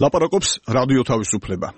ლაპარაკობს რადიო თავისუფლება.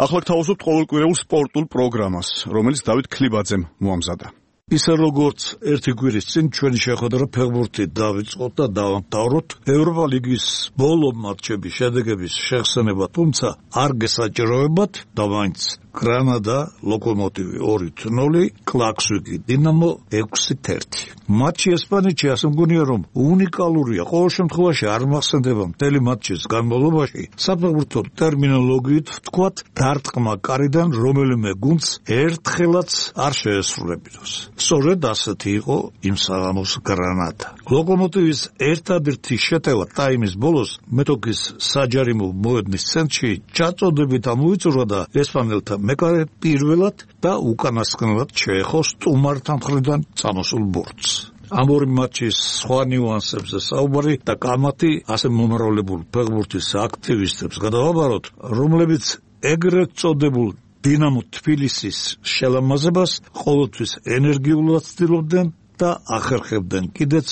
ახლა გთავაზობთ ყოველკვირეულ სპორტულ პროგრამას, რომელიც დავით ქლიბაძემ მოამზადა. ისე როგორც ერთი კვირის წინ ჩვენი შეხვედრა ფეხბურთით დავიწყოთ და დავამთავროთ ევროპა ლიგის ბოლო მატჩების შედეგების შეხსენება, თუმცა არ გესაჭიროებათ და მაინც გრანადა ლოკომოტივი 2-0, კლაქსვიკი დინამო 6-1. მატჩი ესპანეთში ასე მგონია რომ უნიკალურია, ყოველ შემთხვევაში არ მახსენდება მთელი მატჩის განმავლობაში საფეხბურთო ტერმინოლოგიით ვთქვათ დარტყმა კარიდან რომელიმე გუნდს ერთხელაც არ შეესრულებინოს. სწორედ ასეთი იყო იმ საღამოს გრანადა. ლოკომოტივის ერთადერთი შეტევა ტაიმის ბოლოს მეტოქის საჯარიმო მოედნის ცენტრში ჩაწოდებით ამოიწურა და ესპანელთა მეკარე პირველად და უკანასკნელად შეეხო სტუმართა მხრიდან წამოსულ ბურთს. ამ ორი მატჩის სხვა ნიუანსებზე საუბარი და კამათი ასე მომრავლებულ ფეხბურთის აქტივისტებს გადავაბაროთ, რომლებიც ეგრეთ წოდებულ დინამო თბილისის შელამაზებას ყოველთვის ენერგიულად ცდილობდნენ და ახერხებდნენ კიდეც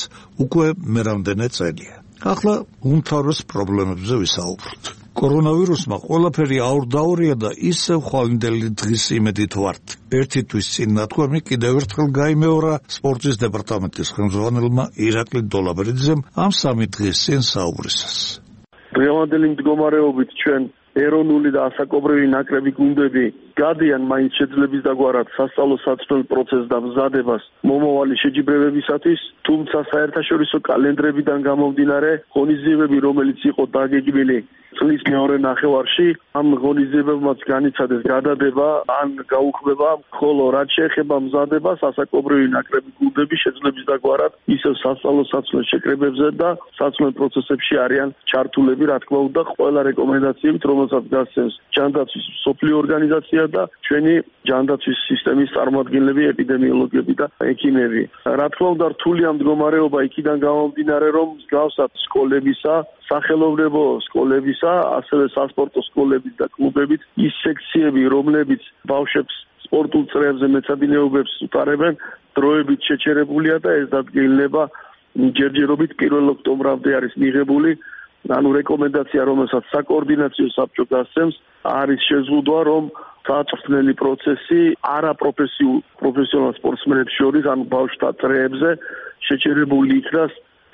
უკვე მერამდენე წელია. ახლა უმთავრეს პრობლემებზე ვისაუბროთ. კორონავირუსმა ყველაფერი აურდაურია და ისევ ხვალინდელი დღის იმედით ვართ. ერთი თვის წინ ნათქვამი კიდევ ერთხელ გაიმეორა სპორტის დეპარტამენტის ხელმძღვანელმა ირაკლი დოლაბერიძემ ამ სამი დღის წინ საუბრისას. დღევანდელი მდგომარეობით ჩვენ ეროვნული და ასაკობრივი ნაკრები გუნდები გადიან მაინც შეძლების დაგვარად სასწავლო საცდელ პროცესს და მზადებას მომავალი შეჯიბრებებისათვის, თუმცა საერთაშორისო კალენდრებიდან გამომდინარე ღონისძიებები, რომელიც იყო დაგეგმილი წლის მეორე ნახევარში, ამ ღონისძიებებმაც განიცადეს გადადება ან გაუქმება, ხოლო რაც შეეხება მზადებას, ასაკობრივი ნაკრები გუნდები შეძლების დაგვარად ისევ სასწავლო საცდელ შეკრებებზე და საცდელ პროცესებში არიან ჩართულები, რა თქმა უნდა, ყველა რეკომენდაციებით, რომელსაც გასცემს ჯანდაცვის მსოფლიო ორგანიზაცია და ჩვენი ჯანდაცვის სისტემის წარმომადგენლები, ეპიდემიოლოგები და ექიმები. რა თქმა უნდა, რთულია მდგომარეობა იქიდან გამომდინარე, რომ მსგავსად სკოლებისა, სახელოვნებო სკოლებისა, ასევე სასპორტო სკოლების და კლუბებით ის სექციები, რომლებიც ბავშვებს სპორტულ წრეებზე მეცადინეობებს უტარებენ, დროებით შეჩერებულია და ეს დადგენილება ჯერჯერობით 1 ოქტომბრამდე არის მიღებული. ანუ რეკომენდაცია, რომელსაც საკოორდინაციო საბჭო გასცემს, არის შეზღუდვა, რომ საწვრთნელი პროცესი არაპროფესიონალ სპორტსმენებს შორის, ანუ ბავშვთა წრეებზე შეჩერებული იქნას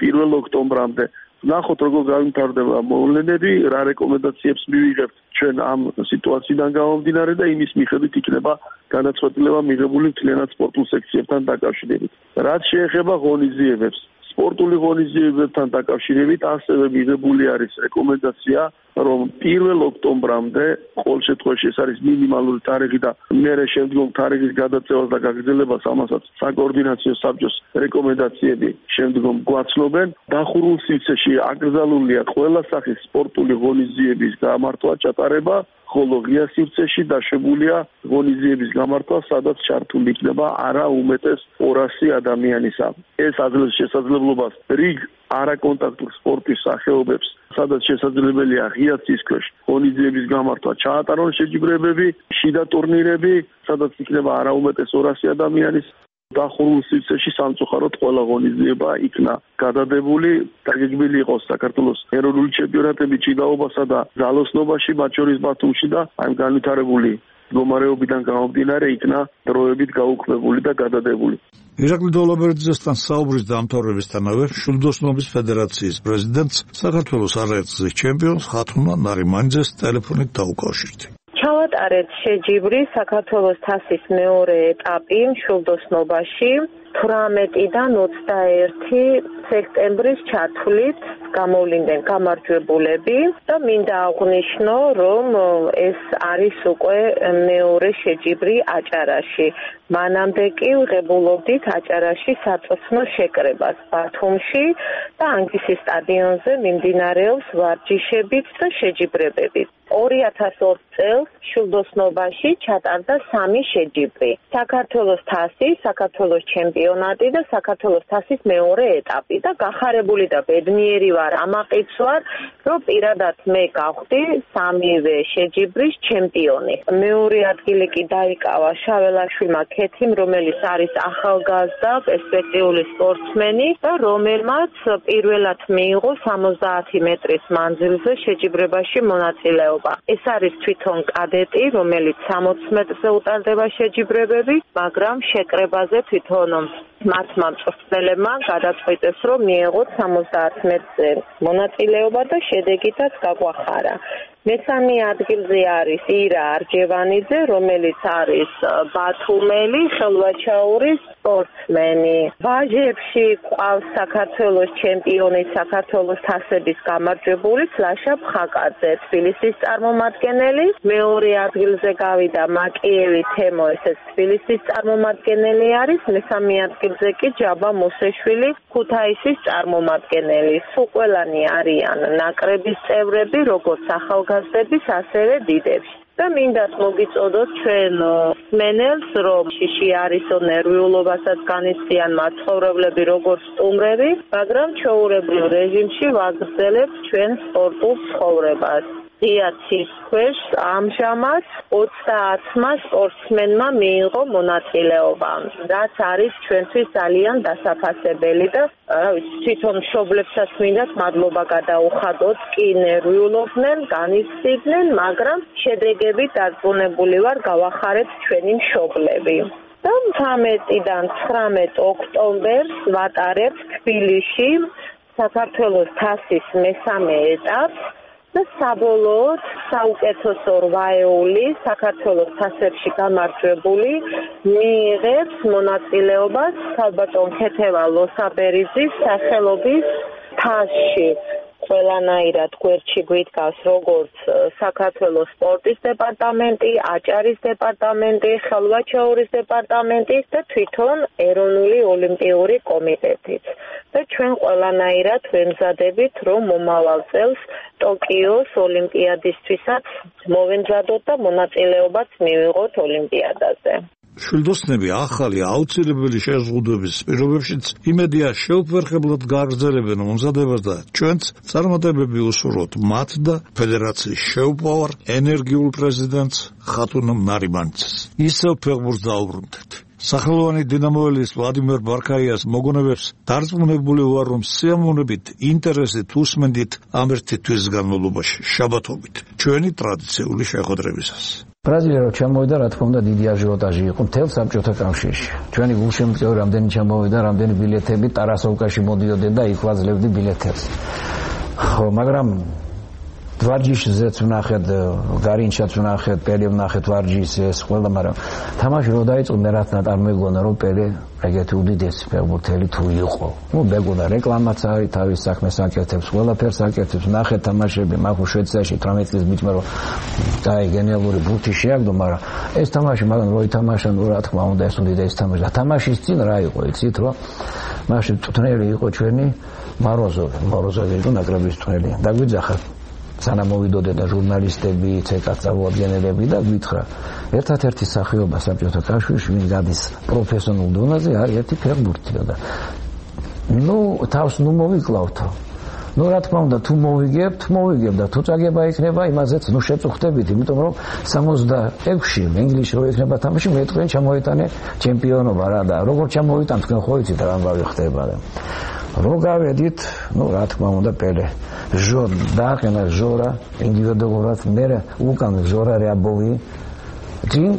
1 ოქტომბრამდე. ნახოთ, როგორ განვითარდება მოვლენები, რა რეკომენდაციებს მივიღებთ ჩვენ ამ სიტუაციიდან გამომდინარე და იმის მიხედვით იქნება განაცვლება მიღებული მთლიანად სპორტულ სექციებთან დაკავშირებით. რაც შეეხება ღონისძიებებს, სპორტული ღონისძიებებთან დაკავშირებით ასევე მიღებული არის რეკომენდაცია, რომ 1 ოქტომბრამდე ყოველ შემთხვევაში ეს არის მინიმალური თარიღი და მერე შემდგომ თარიღის გადაწევას და გაგრძელებას ამასაც საკოორდინაციო საბჭოს რეკომენდაციები შემდგომ გვაცნობენ. დახურულ სივრცეში აკრძალულია ყველა სახის სპორტული ღონისძიების გამართვა, ჩატარება, ხოლო ღია სივრცეში დაშვებულია ღონისძიების გამართვა, სადაც ჩართული იქნება არა უმეტეს 200 ადამიანისა. ეს აძლევს შესაძლებლობას რიგ არაკონტაქტურ სპორტის სახეობებს, სადაც შესაძლებელია ღია ცის ქვეშ ღონისძიების გამართვა, ჩაატარონ შეჯიბრებები, შიდა ტურნირები, სადაც იქნება არა უმეტეს 200 ადამიანის. დახურულ სივრცეში სამწუხაროდ ყველა ღონისძიება იქნა გადადებული, დაგეგმილი იყო საქართველოს ეროვნული ჩემპიონატები ჭიდაობასა და ძალოსნობაში, მათ შორის ბათუმში და ამ განვითარებული მდგომარეობიდან გამომდინარე იქნა დროებით გაუქმებული და გადადებული. ირაკლი დოლაბერიძესთან საუბრის დამთავრებისთანავე შვილდოსნობის ფედერაციის პრეზიდენტს საქართველოს არაერთგზის ჩემპიონს ხათუნა ნარიმანიძეს ტელეფონით დაუკავშირდი. ჩავატარეთ შეჯიბრი საქართველოს თასის მეორე ეტაპი შვილდოსნობაში 18-დან 21 სექტემბრის ჩათვლით გამოვლინდნენ გამარჯვებულები და მინდა აღვნიშნო, რომ ეს არის უკვე მეორე შეჯიბრი აჭარაში. მანამდე კი ვღებულობდით აჭარაში საწვრთნო შეკრებას ბათუმში და ანგისის სტადიონზე მიმდინარეობს ვარჯიშებით და შეჯიბრებებით. 2002 წელს შულდოსნობაში ჩატარდა 3 შეჯიბრი. საქართველოს თასი, საქართველოს ჩემპიონატი და საქართველოს თასის მეორე ეტაპი და გახარებული და ბედნიერი ვარ ამაყიც ვარ, რომ პირადად მე გავხდი 3-ვე შეჯიბრის ჩემპიონი. მეორე ადგილი კი დაიკავა შაველაშვილმა ქეთიმ, რომელიც არის ახალგაზრდა პერსპექტიული სპორტსმენი და რომელმაც პირველად მიიღო 70 მეტრის მანძილზე შეჯიბრებაში მონაწილეობა. ეს არის თვითონ კადეტი, რომელიც 60 მეტრზე უტარდება შეჯიბრებები, მაგრამ შეკრებაზე თვითონ მათმა მწვრთნელებმა გადაწყვიტეს, რომ მიეღოთ 70 მეტრზე მონაწილეობა და შედეგითაც გაგვახარა. მესამე ადგილზე არის ირა არჯევანიძე, რომელიც არის ბათუმელი ხელვაჩაურის სპორტსმენი. ვაჟებში ყავს საქართველოს ჩემპიონი, საქართველოს თასების გამარჯვებული ლაშა ფხაკაძე, თბილისის წარმომადგენელი. მეორე ადგილზე გავიდა მაკიევი თემო, ესეც თბილისის წარმომადგენელი არის. მესამე ადგილზე კი ჯაბა მუსეშვილი, ქუთაისის წარმომადგენელი. სულ ყველანი არიან ნაკრების წევრები, როგორც ახალგაზრდების, ასევე დიდებში. და მინდათ მოგიწოდოთ ჩვენ სმენელს, რომ შიში არისო ნერვიულობასაც განიცდიან მაცხოვრებლები როგორც სტუმრები, მაგრამ ჩვეულებრივ რეჟიმში ვაგრძელებთ ჩვენ სპორტულ ცხოვრებას. დიაცის ქვეშ ამჟამად 30-მა სპორტსმენმა მიიღო მონაწილეობა, რაც არის ჩვენთვის ძალიან დასაფასებელი და თვითონ მშობლებსაც მინდათ მადლობა გადაუხადოთ, კი ნერვიულობდნენ, განიცდიდნენ, მაგრამ შედეგებით დარწმუნებული ვარ, გავახარეთ ჩვენი მშობლები. და 13-დან 19 ოქტომბერს ვატარებთ თბილისში საქართველოს თასის მესამე ეტაპს და საბოლოოდ საუკეთესო 8-ეული საქართველოს თასებში გამარჯვებული მიიღებს მონაწილეობას ქალბატონ ქეთევა ლოსაბერიძის სახელობის თასში. ყველანაირად გვერდში გვიდგას როგორც საქართველოს სპორტის დეპარტამენტი, აჭარის დეპარტამენტი, ხელვაჩაურის დეპარტამენტი და თვითონ ეროვნული ოლიმპიური კომიტეტიც. და ჩვენ ყველანაირად ვემზადებით, რომ მომავალ წელს ტოკიოს ოლიმპიადისთვისაც მოვემზადოთ და მონაწილეობაც მივიღოთ ოლიმპიადაზე. შვილდოსნები ახალი აუცილებელი შეზღუდვების პირობებშიც იმედია შეუფერხებლად გააგრძელებენ მომზადებას და ჩვენც წარმატებები უსურვოთ მათ და ფედერაციის შეუპოვარ ენერგიულ პრეზიდენტს ხატუნ ნარიმანიცას. ისევ ფეხბურთს დაუბრუნდეთ. სახელოვანი დინამოელის ვლადიმერ ბარქაიას მოგონებებს დარწმუნებული ვარ, რომ სიამოვნებით ინტერესით უსმენდით ამ ერთი თვის განმავლობაში შაბათობით ჩვენი ტრადიციული შეხვედრებისას. ბრაზილია რო ჩამოვიდა, რა თქმა უნდა, დიდი აჟიოტაჟი იყო მთელ საბჭოთა კავშირში. ჩვენი გულშემატკივარი რამდენი ჩამოვიდა, რამდენი ბილეთები ტარასოვკაში მოდიოდნენ და იქ ვაძლევდი ბილეთებს. ხო, მაგრამ ვარჯიშზეც ვნახეთ, გარინჩაც ვნახეთ, პელე ვნახეთ ვარჯიშს ეს ყველა, მაგრამ თამაში რო დაიწყო, მე რაც არ მეგონა, რომ პელე ეგეთი უდიდესი ფეხბურთელი თუ იყო. ნუ მეგონა რეკლამაც არის, თავის საქმეს აკეთებს, ყველაფერს აკეთებს, ვნახეთ თამაშები, მაგ შვეიცარიაში 18 წლის ბიჭმა რო დაი გენიალური ბურთი შეაგდო, მაგრამ ეს თამაში მაგან რო ითამაშა, ნუ რა თქმა უნდა, ეს უდიდესი თამაში. და თამაშის წინ რა იყო, იცით რა? მაშინ მწვრთნელი იყო ჩვენი მაროზოვი იყო ნაკრების მწვრთნელი. დაგვიძახა სანამ მოვიდოდეთ და ჟურნალისტები, ცეკას წარმოადგენელები და გვითხრა, ერთადერთი სახეობა საბჭოთა კავშირში, ვინ გადის პროფესიონალურ დონეზე, არის ერთი ფეხბურთია და ნუ თავს ნუ მოვიკლავთო. ნუ რა თქმა უნდა, თუ მოვიგებთ და თუ წაგება იქნება, იმაზეც ნუ შეწუხდებით, იმიტომ რომ 66-ში ინგლისში რო იქნება თამაში, მე თქვენ ჩამოიტანე ჩემპიონობა რა და როგორ ჩამოიტან თქვენ ხო იცით რა ამბავი ხდება და რო გავედით, ნუ რა თქმა უნდა პელე დააყენა ჟორა ინდივიდუალურად, მე უკან ჟორა რეაბოვი ჯინ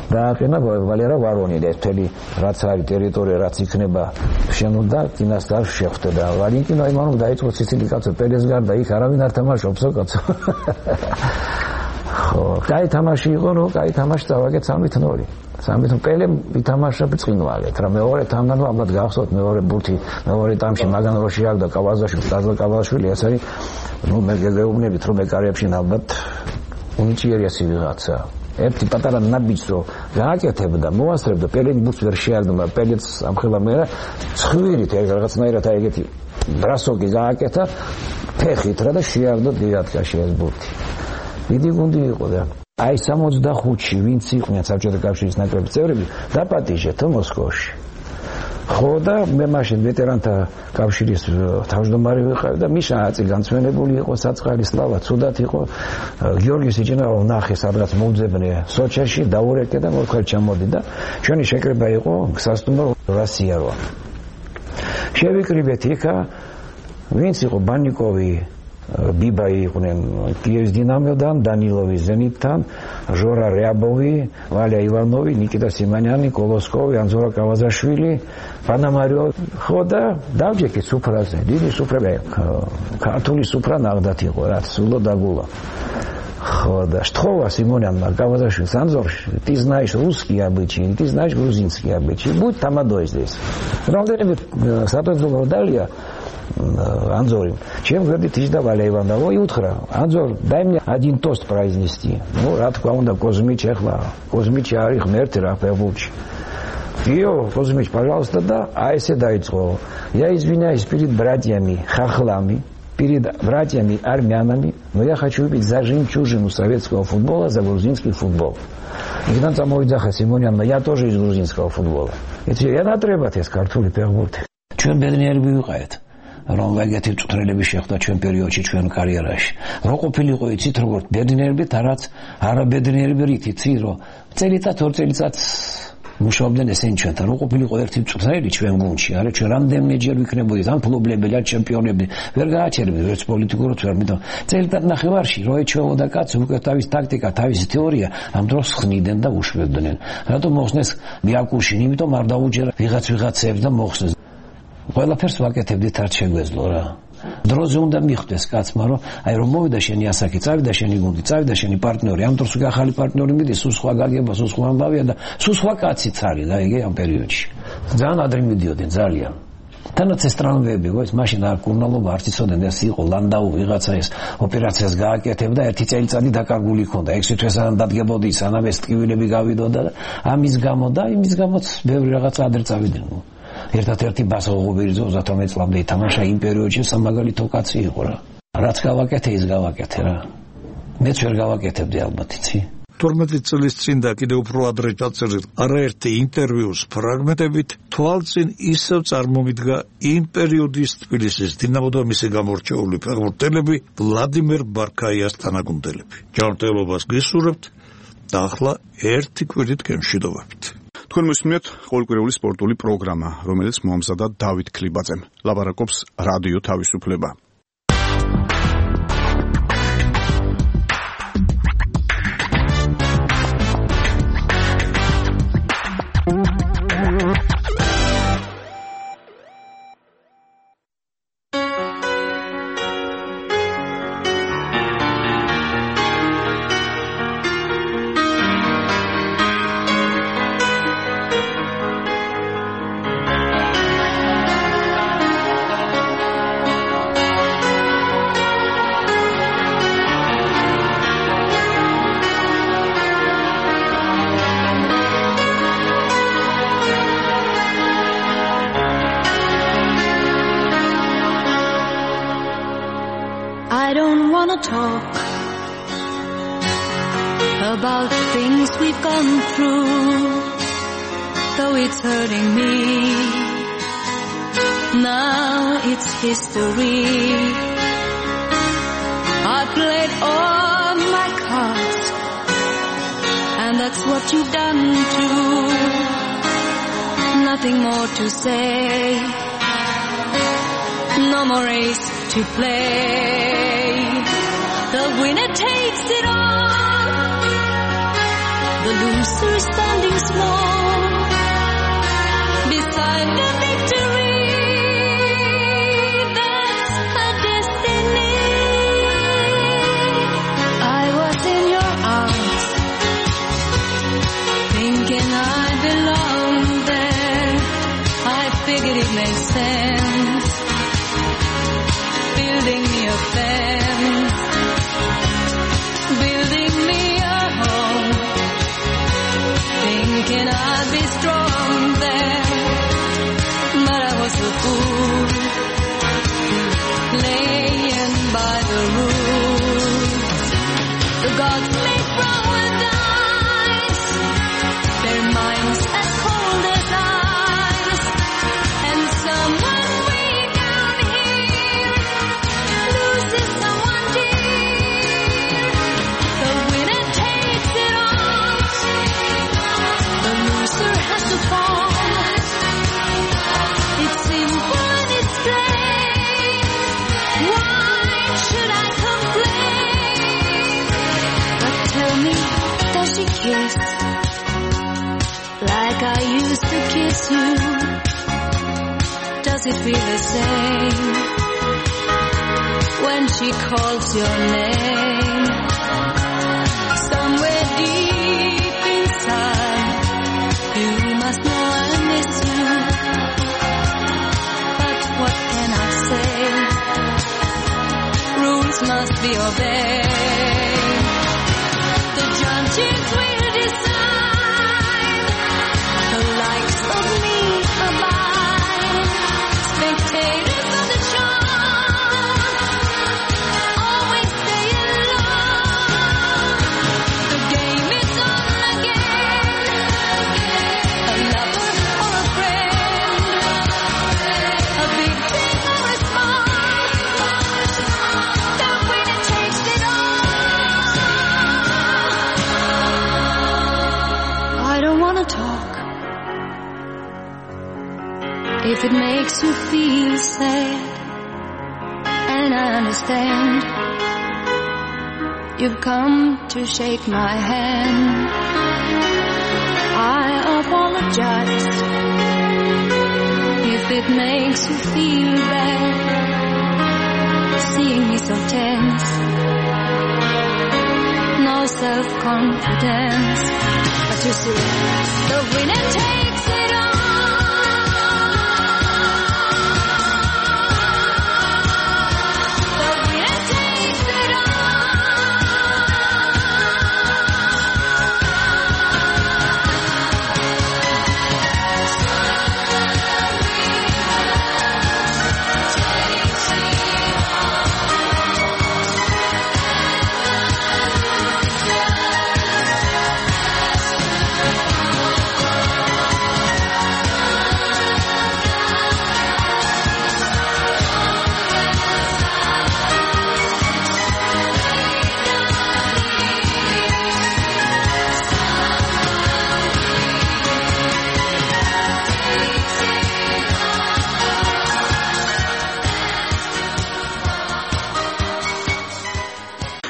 დააყენა ვალერა ვარონი და ეს მთელი რაც არის ტერიტორია, რაც იქნება შემოდა კინასტარ შეხვდა და ვალენტინო იმანოვ დაიწყო სიცილი კაცო პელეს გარდა იქ არავინ არ თამაშობსო კაცო. ხო, კაი თამაში იყო, რომ კაი თამაში დავაგეთ 3-0. 3 პელე ვითამაშა ბრწყინვალეთ რა მეორე თამბანო ამბად გახსოვთ მეორე ბურთი მეორე ტამში მაგან რო შეაგდა კავაზაშვილი ეს არის ნუ მე გეუბნებით რომ ეკარეებში ალბათ უნიჭიერესი ვიღაცა ერთი პატარა ნაბიჯს რო გააკეთებდა მოასწრებდა პელენი ბურთს ვერ შეაგდა მაგრამ პელეც ამხელა მე რა ცხვირით რაღაცნაირად აი ეგეთი ბრასოკი გააკეთა ფეხით რა და შეაგდა დიატკაში ეს ბურთი დიდი გუნდი იყო და აი 65-ში ვინც იყვნენ საბჭოთა კავშირის ნაკრების წევრები დაპატიჟეთ მოსკოვში. ხო და მე მაშინ ვეტერანთა კავშირის თავმჯდომარე ვიყავი და მიშა აწი განცვენებული იყო საწყალი სლავა ცუდად იყო გიორგი სიჭინავა ნახე სადღაც მოუძებნე სოჩაში დაურეკე და მოხარ ჩამოდი და ჩვენი შეკრება იყო სასტუმრო რასიარო შევიკრიბეთ იქა ვინც იყო ბანიკოვი ბიბა იყვნენ კიევის დინამოდან დანილოვი ზენიტთან ჟორა რეაბოვი ვალია ივანოვი ნიკიტა სიმანიანი კოლოსკოვი ანზორა კავაზაშვილი პანამარიო ხო და დავჯექით სუფრაზე დიდი სუფრები ქართული სუფრა ნაღდათ იყო რაც სულო დაგულა ხო და შთხოვა სიმონიანმა კავაზაშვილს ანზორში ты знаешь русский обычай ты знаешь грузинский обычай будь тамадой здесь რამდენიმე საპრეზიდენტო დალია Анзор, чем говорит Тижда Валеевна, ой, утро, Анзор, дай мне один тост произнести. Ну, рад кому-то Козмич Эхла, Козмич Арих Мертера, Певуч. Йо, Козмич, пожалуйста, да, а если дайте слово. Я извиняюсь перед братьями хохлами, перед братьями армянами, но я хочу выпить за жемчужину советского футбола, за грузинский футбол. И там самой Заха Симонян, я тоже из грузинского футбола. Я на требате с картули Певуч. Чем беднее бывает? რომ ვეგეთი წვრილები შეხვდა ჩვენ პერიოდში ჩვენ კარიერაში. რო ყოფილიყო იცით როგორ ბედნიერები და რაც არაბედნიერები რითიცი რომ წელიწად ორ წელიწად მუშაობდნენ ესენი ჩვენთან. რო ყოფილიყო ერთი წვრილი ჩვენ გუნდში, არა ჩვენ რამდენიმეჯერ ვიქნებოდით ამ ფლობლებელი ან ჩემპიონები ვერ გააჩერებდით ვერც პოლიტიკურად ვერ მითო. წელიწად ნახევარში რო ეჩვეოდა კაცი უკვე თავის ტაქტიკა, თავისი თეორია ამ დროს ხნიდნენ და უშვებდნენ. რატომ მოხსნეს მიაკუშინ, იმიტომ არ დაუჯერა ვიღაცებს და მოხსნეს. ყველაფერს ვაკეთებდით არ შეგვეძლო რა. დროზე უნდა მიხვდეს კაცმა რომ აი რომ მოვიდა შენი ასაკი, წავიდა შენი გუნდი, წავიდა შენი პარტნიორი, ამ დროს უკვე ახალი პარტნიორი მიდის, სულ სხვა გაგება, სულ სხვა ამბავია და სულ სხვა კაციც არის და იგი ამ პერიოდში. ძალიან ადრე მიდიოდნენ ძალიან. თანაც ეს ტრამვები, ეს მაშინ არ კურნალობა არ იცოდნენ, ეს იყო ლანდაუ ვიღაცა ეს ოპერაციას გააკეთებდა, ერთი წელიწადი დაკარგული ჰქონდა, 6 თვე სანამ დადგებოდი, სანამ ეს ტკივილები გავიდოდა და ამის გამო და იმის გამოც ბევრი რაღაცა ადრე წავიდნენ. ერთადერთი ბასო ღობერიძე 38 წლამდე ითამაშა იმ პერიოდში სამაგალითო კაცი იყო რა. რაც გავაკეთე ის გავაკეთე რა. მეც ვერ გავაკეთებდი ალბათ იცი. 12 წლის წინ და კიდევ უფრო ადრე ჩაწერილ არაერთი ინტერვიუს ფრაგმენტებით თვალწინ ისევ წარმომიდგა იმ პერიოდის თბილისის დინამო და მისი გამორჩეული ფეხბურთელები ვლადიმერ ბარქაიას თანაგუნდელები. ჯანმრთელობას გისურვებთ და ახლა ერთი კვირით გემშვიდობებით. თქვენ მოსმენთ ყოველკვირეული სპორტული პროგრამა, რომელიც მოამზადა დავით ქლიბაძემ. ლაპარაკობს რადიო თავისუფლება. I don't want to talk about things we've gone through, though it's hurting me. Now it's history. I played all my cards, and that's what you've done too. Nothing more to say, no more race to play. The winner takes it all, the loser is standing small beside the victory. That's her destiny. I was in your arms, thinking I belonged there. I figured it made sense, building me a fence, building me a home, thinking I'd be strong there, but I was a fool, playing by the rules. The kiss like I used to kiss you. Does it feel the same when she calls your name? Somewhere deep inside, you must know I miss you. But what can I say? Rules must be obeyed. The judges will decide. The likes of me abide. Spectators of the show always stay alone. The game is on again. A lover or a friend, a big thing or a small. The winner takes it all. I don't wanna talk. If it makes you feel sad, and I understand, you've come to shake my hand. I apologize if it makes you feel bad, seeing me so tense, no self-confidence. But you see, the winner takes it all.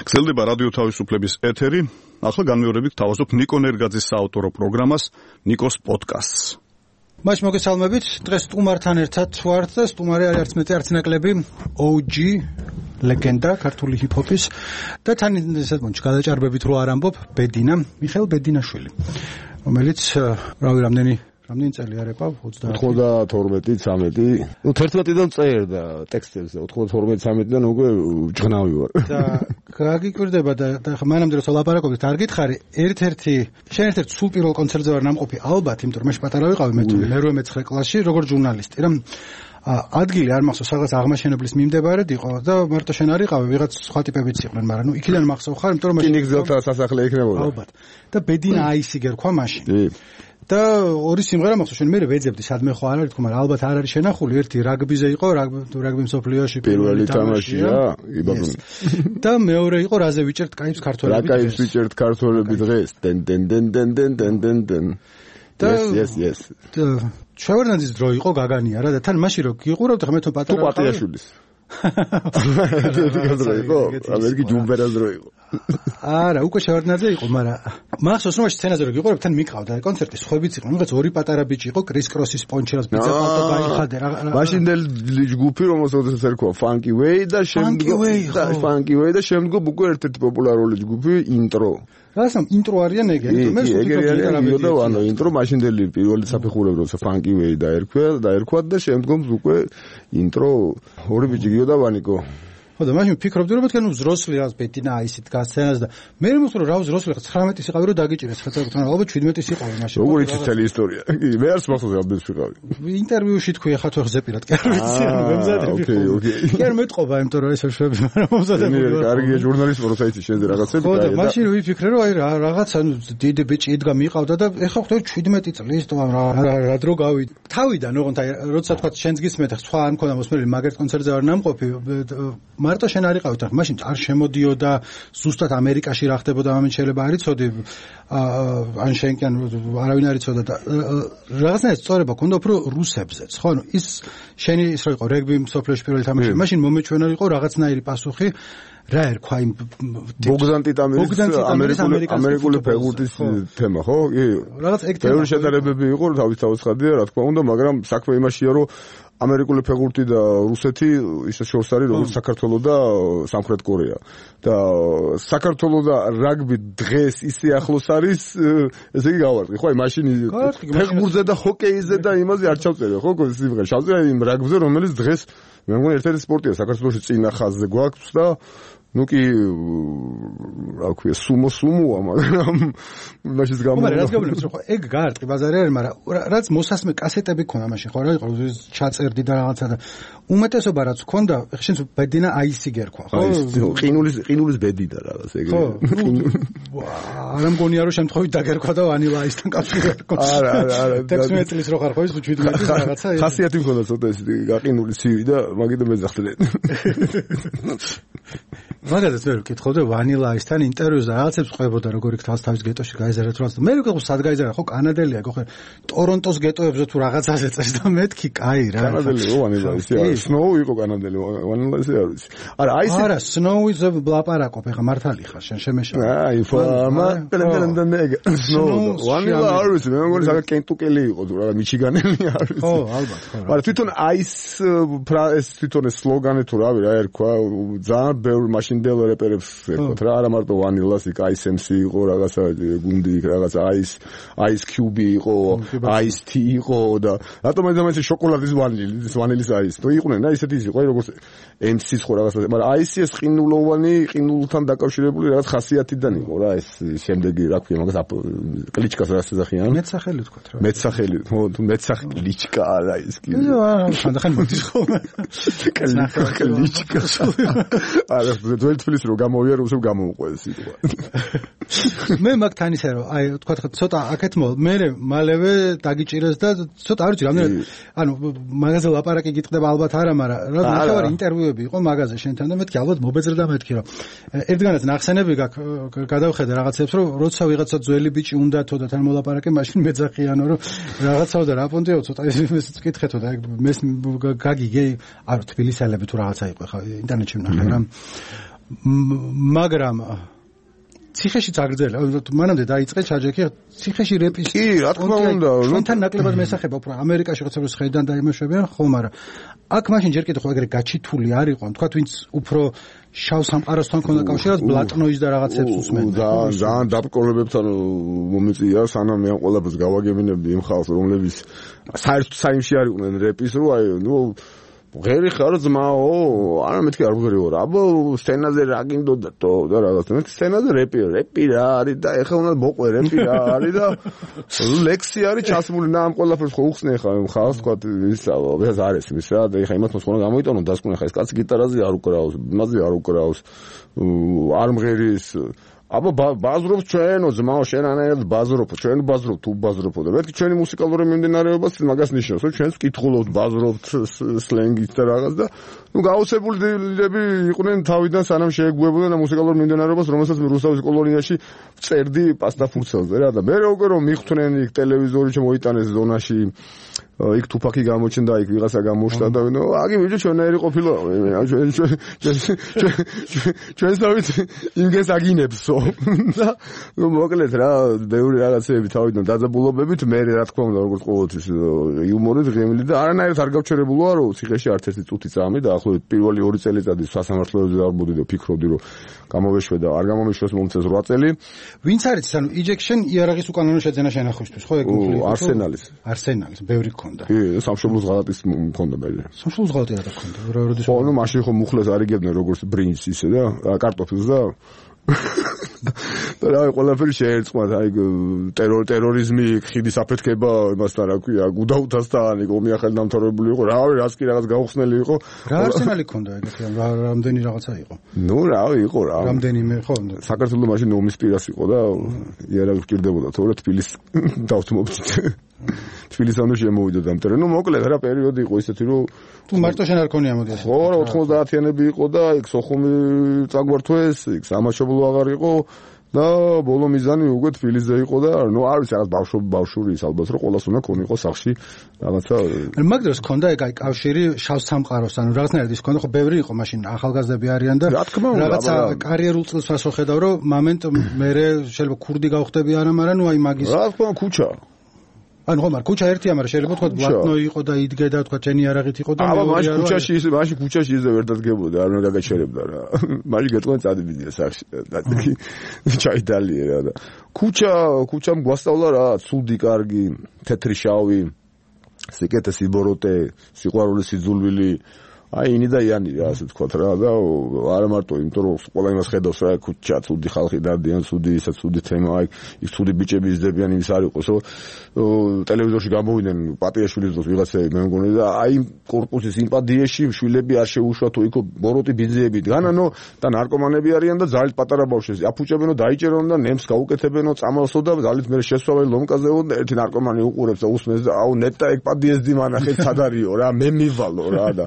გრძელდება რადიო თავისუფლების ეთერი. ახლა განმეორებით თავაზობ ნიკო ნერგაძის საავტორო პროგრამას ნიკოს პოდკასტს. მაშინ მოგესალმებით. დღეს სტუმართან ერთად ვართ და სტუმარი არის არც მეტი არც ნაკლები OG ლეგენდა ქართული ჰიპ-ჰოპის და თან ესეთ მომჩ გადაჭარბებით რო არ ამბობ ბედინა მიხეილ ბედინაშვილი, რომელიც რამდენი წელი არეპა 92-13. ნუ 11-დან წერდა ტექსტებს და 92-13-დან უკვე ჭღნავი ვარ. და გაგიკვირდება და მანამდე როცა ლაპარაკობთ არ გითხარი, შენ ერთ-ერთ სულ პირველ კონცერტზე ვარ ნამყოფი, ალბათ, იმიტომ რომ მე პატარა ვიყავი, მე 8-9 კლასში, როგორც ჟურნალისტი, რა ადგილი არ მახსოვს, რაღაც აღმაშენებლის მიმდებარედ იყო და მარტო შენ არ იყავი, ვიღაც სხვა ტიპებიც იყვნენ, მაგრამ ნუ იქიდან მახსოვ ხარ, იმიტომ რომ კინიგზელთა სასახლე იქნებოდა. ალბათ. და ბედინა აისი გერქვა მაშინ. და ორი სიმღერა მახსოვს, შენ მე ვეძებდი სადმე ხო არ არის თქო, მაგრამ ალბათ არ არის შენახული, ერთი რაგბიზე იყო, რაგბი მსოფლიოში პირველი თამაშია, იბაბუნი. და მეორე იყო რაზე ვიჭერთ კაიფს ქართველები. რა კაიფს ვიჭერთ ქართველები დღეს? დენ. Yes. შევერნაძის დრო იყო გაგანია რა და თან მაშინ რო გიყურავთ ხმე თო პატარა. თუ პატიაშვილის. ამერიკი ჯუმბერას დრო იყო. არა, უკვე შევერნაძე იყო, მაგრამ მახსოვს რომ სცენაზე რო გიყურავთ თან მიყავდა კონცერტი, სხვებიც იყვნენ, რაღაც ორი პატარა ბიჭი იყო, კრის კროსის პონჩერას ბიძა პატო გაიხადე რა. მაშინდელი ჯგუფი რომელსაც ერქვა Funky Way და შემდგომ უკვე ერთ-ერთი პოპულარული ჯგუფი ინტრო. რასამ ინტრო არიან ეგეთი, მე და ანუ ინტრო მაშინდელი პირველი საფეხურები როცა Funky Way დაერქვა და შემდგომ უკვე ინტრო ორი ბიჭი გიო და ვანიკო. ხო და მაშინ ვფიქრობდი რომ თქვენ უზროსლი რაღაც ბედინა აისით გასცენას და მე მომწონს რომ რა უზროსლი 19-ის იყავი რომ დაგიჭირეს ხა თქვენ ალბათ 17-ის იყავი მაშინ. როგორ იცით მთელი ისტორია? მე არც მახსოვს აბდეს ვიყავი. ინტერვიუში თქვი ხა თუ ზეპირად კი არ ვიცი ანუ მე მზადები. ოკეი. კი არ მეტყობა იმიტომ რომ ეს შვები მაგრამ მომზადებული. კარგია ჟურნალისტი რო საიტი შენზე რაღაცები და. ხო და მაშინ ვიფიქრე რომ აი რაღაც ანუ დიდი ბიჭი იდგა მიყავდა და ეხა ხტო 17 წლის თუ რა დრო გავიდა. თავიდან ოღონდ აი როცა თქვა შენს გისმენთ სხვა არ მქონდა მოსმენელი მაგერტ კონცერტზე არ ნამყოფი მარტო შენ არ იყავით ახლა მაშინ არ შემოდიოდა ზუსტად ამერიკაში რა ხდებოდა ამით შეიძლება არ იცოდი ან შენ კი ან არავინ არ იცოდა და რაღაცნაირად სწორება ქონდა უფრო რუსებზეც ხო ანუ ის შენი ის რო იყო რეგბი მსოფლიოში პირველი თამაში მაშინ მომეჩვენა იყო რაღაცნაირი პასუხი რა ერქვა იმ ბოგდან ტიტამირის ამერიკული ფეხბურთის თემა, ხო? კი. რაღაც ეგ თემა. ბევრი შედარებები იყო, თავის ხადია, რა თქმა უნდა, მაგრამ საქმე იმაშია, რომ ამერიკული ფეხბურთი და რუსეთი ისე შორს არის, როგორც საქართველოს და სამხრეთ კორეა. და საქართველოს და რაგბი დღეს ისე ახლოს არის, ესე იგი გავარდი, ხო? აი მაშინ ფეხბურთზე და ჰოკეიზე და იმაზე არ ჩავწერე, ხო? სიმღერა ჩავწერე იმ რაგბზე, რომელიც დღეს მე მგონი ერთ-ერთი სპორტია საქართველოში წინა ხაზზე გვაქვს და ну ки რა ქვია სუმოა მაგრამ მაშინ მაგრამ რაც გავლენს რომ ეგ გაარტყი ბაზარი არის მაგრამ რაც მოსასმე კასეტები ქონა მაშინ ხო რა იყო ჩაწერდი და რაღაცა და უმეტესობა რაც ქონდა შენ ბედინა აისი გერქვა ხო ყინულის ბედი და რაღაც ეგ არა მგონია რომ შემთხვევით დაგერქვა და ვანილა აისთან კავშირი ერქვა არა 16 წლის რო ხარ ხო ის 17 წლის რაღაცა ხასიათი მქონდა ცოტა ეს გაყინული ცივი და მაგით მეძახდნენ მაგალითად ვერ ვკითხავდი ვანილა აისთან ინტერვიუზე რაღაცებს ყვებოდა როგორ იქ თავის გეტოში გაიზარდა თუ რაღაცა მე ვიყო სად გაიზარდა ხო კანადელია ხო ტორონტოს გეტოებზე თუ რაღაცაზე წეს და მეთქი კაი რა კანადელი ვანილა ისი არის სნოუ იყო კანადელი ვანილა ისი არის არა აისი არა სნოუზე ვლაპარაკობ ეხა მართალი ხარ შენ შემეშალა აი ფამა პელენდენდენეგ სნოუ ვანილა არის მე მგონი საკა კენტუკელი იყო თუ რა მიჩიგანელი არის ხო ალბათ ხო მაგრამ თვითონ აის ეს თვითონ სლოგანი თუ რავი რა ერქვა ძალიან ბევრი მაშინდელ რეპერებს ერქვა რა არა მარტო ვანილას იქ აისემსი იყო რაღაცა გუნდი იქ რაღაცა აის კიუბი იყო აის თი იყო და რატომ ეს შოკოლადის ვანილის აის თუ იყვნენ და ისეთი იყო როგორც ემსის ხო რაღაცა მაგრამ აისი ეს ყინულოვანი ყინულთან დაკავშირებული რაღაც ხასიათიდან იყო რა ეს შემდეგი რა ქვია მაგას კლიჩკას რას ეძახიან მეცახელი თქვა რა მეცახელი თუ მეცახელი ლიჩკა არა ის კი ხანდახან მოდის ხო კლიჩკა არა ძველი თბილისი რომ გამოვიარე უსებ გამოვუყვეს სიტყვა მე მაგთან ისე რომ აი თქვა ცოტა აქეთ მე მალევე დაგიჭირეს და ცოტა არ ვიცი რამდენად ანუ მაგაზე ლაპარაკი გიტყდება ალბათ არა მაგრამ რა ნახევარი ინტერვიუები იყო მაგაზე შენთან და მეთქი ალბათ მობეძრდა მეთქი რომ ერთგანაც ნახსენები გადავხედე რაღაცებს რომ როცა ვიღაცა ძველი ბიჭი უნდა თო და თან მოლაპარაკე მაშინ მეძახიანო რომ რაღაცაო და რა პონტიო ცოტა ისიც ვკითხეთო და მე გაგიგე არ თბილისელები თუ რაღაცა იყო ხა ინტერნეტში ვნახე რა მაგრამ ციხეში წაგრძელა მანამდე დაიწყე ჩაჯექი ციხეში რეპის კი რა თქმა უნდა ჩვენთან ნაკლებად მესახება უფრო ამერიკაში ხოცებს ხედან დაიმუშავებიან ხო მაგრამ აქ მაშინ ჯერ კიდევ ხო ეგრე გაჩითული არ იყო თქვა ვინც უფრო შავ სამყაროსთან ქონდა კავშირად ბლატნოის და რაღაცებს უსმენდა ძალიან დაბკოლებებთან მომიწია სანამ მე ყველაფერს გავაგებინებდი იმ ხალხს რომლებიც საერთოდ საიმში არ იყვნენ რეპის რო აი ნუ ღერი ხარ ძმაო არა მეთქი არ ვღერი ვარ აბა სცენაზე რა გინდოდა თო და რაღაცა მე სცენაზე რეპი რა არის და ეხლა უნდა მოყვე რეპი რა არის და ლექსი არის ჩასმული და ამ ყველაფერს ხო უხსნე ხა ხალხს თქვა ისა ეს არის ის რა და ეხლა იმათ მოსყონა გამოიტანო დასკვნე ხა ეს კაცი გიტარაზე არ უკრაავს მასზე არ უკრაავს არ მღერის აბა ბაზრობ ჩვენო ძმაო შენანაირად ბაზრობ ჩვენ ბაზრობ თუ ბაზრობო და მეთქი ჩვენი მუსიკალური მიმდინარეობაც მაგას ნიშნავს რომ ჩვენს კითხულობთ ბაზრობთ სლენგით და რაღაც და ნუ გაოცებულები იყვნენ თავიდან სანამ შეეგუებოდნენ ამ მუსიკალურ მიმდინარეობას რომელსაც მე რუსთავის კოლონიაში წერდი პასტაფურცელზე რა და მე როგორ რომ მიხვდნენ იქ ტელევიზორი შემოიტანეს ზონაში იქ თუფაკი გამოჩნდა იქ ვიღაცა გამოშთა და აგი ვიჯო ჩვენაირი ყოფილა ჩვენსავით იმგეს აგინებსო და მოკლედ რა ბევრი რაღაცები თავიდან დაძაბულობებით მე რა თქმა უნდა როგორც ყოველთვის იუმორით ღემილი და არანაირად არ გავჩერებულოა რომ ციხეში არც ერთი წუთი წამი და ახლობით პირველი 2 წელიწადი სასამართლოებზე დავბოდი და ფიქრობდი რომ გამოვეშვე და არ გამომეშვეს მომწეს 8 წელი ვინც არის ანუ იჯექშენ იარაღის უკანონო შეძენა შენახვისთვის ხო ეგ არსენალის ბევრი ქონდა კი სამშობლოს ღალატის მქონდა მე სამშობლოს ღალატი რა ქონდა როდის ხო ნუ მაშინ ხო მუხლეს არიგებდნენ როგორც ბრინჯს ისე და კარტოფილს და და რა ყველაფერი შეერწყმათ აი ტერორიზმი ხიდის აფეთქება იმასთან რა ქვია გუდაუთასთან იქ ომი ახალი დამთავრებული იყო რავი რაც კი რაღაც გაუხსნელი იყო რა არსენალი ქონდა ეგეთი რამდენი რაღაცა იყო ნუ რავი იყო რა რამდენიმე ხო საქართველოს მაშინ ომის პირას იყო და იარაღი გჭირდებოდა თორე თბილისს დავთმობთ თბილისამდე შემოვიდა დამტერე ნუ მოკლედ რა პერიოდი იყო ისეთი რომ თუ მარტო შენ არ ქონია მოდი ხო 90-იანები იყო და იქ სოხუმი წაგვართვეს იქ სამაშობლო აღარ იყო და ბოლო მიზანი უკვე თბილისზე იყო და ნუ არ ვიცი რაღაც ბავშვური ის ალბათ რომ ყოველას უნდა ქონიყო სახში რაღაცა მაგ დროს ქონდა ეგ აი კავშირი შავ სამყაროსთან რაღაცნაირად ის ქონდა ხო ბევრი იყო მაშინ ახალგაზრდები არიან და რაღაცა კარიერულ წელს ასე ხედავ რომ მომენტ მე შეიძლება ქურდი გავხდები არა მაგრამ ნუ აი მაგის რა თქმა უნდა ქუჩა ანუ ხომ არ ქუჩა ერთია მაგრამ შეიძლება თქვა ბლატნო იყო და იდგე და თქვა ჩენი არაღით იყო და მე მაშინ ქუჩაში ისე ვერ დადგებოდა არ უნდა გაგაჩერებდა რა მაშინ გეტყვენ წადიდია სახში ჩაიდალია რა და ქუჩამ გვასწავლა რა ცუდი კარგი თეთრი შავი სიკეთე სიბოროტე სიყვარული სიძულვილი აი ინი და იანი რა ასე ვთქვათ რა და არა მარტო იმიტომ რომ ყველა იმას ხედავს რა ქუჩა ცუდი ხალხი დადიან ცუდი ისა ცუდი თემა აი ის ცუდი ბიჭები იზრდებიან იმის არ იყოს ტელევიზორში გამოვიდნენ პატიაშვილის დროს ვიღაცები მე მგონი და აი კორპუსის სიმპათიაში შვილები არ შეუშვათ თუ იქო ბოროტი ბიძიები დგანანო და ნარკომანები არიან და ძალით პატარა ბავშვები აფუჭებენო დაიჭერონ და ნემს გაუკეთებენო წამალსო და ძალით მე შესვავენ ლომკაზეო და ერთი ნარკომანი უყურებს და უსმენს და აუ ნეტა ეგ პადიესდი მანახეთ სადარიო რა მე მივალო რა და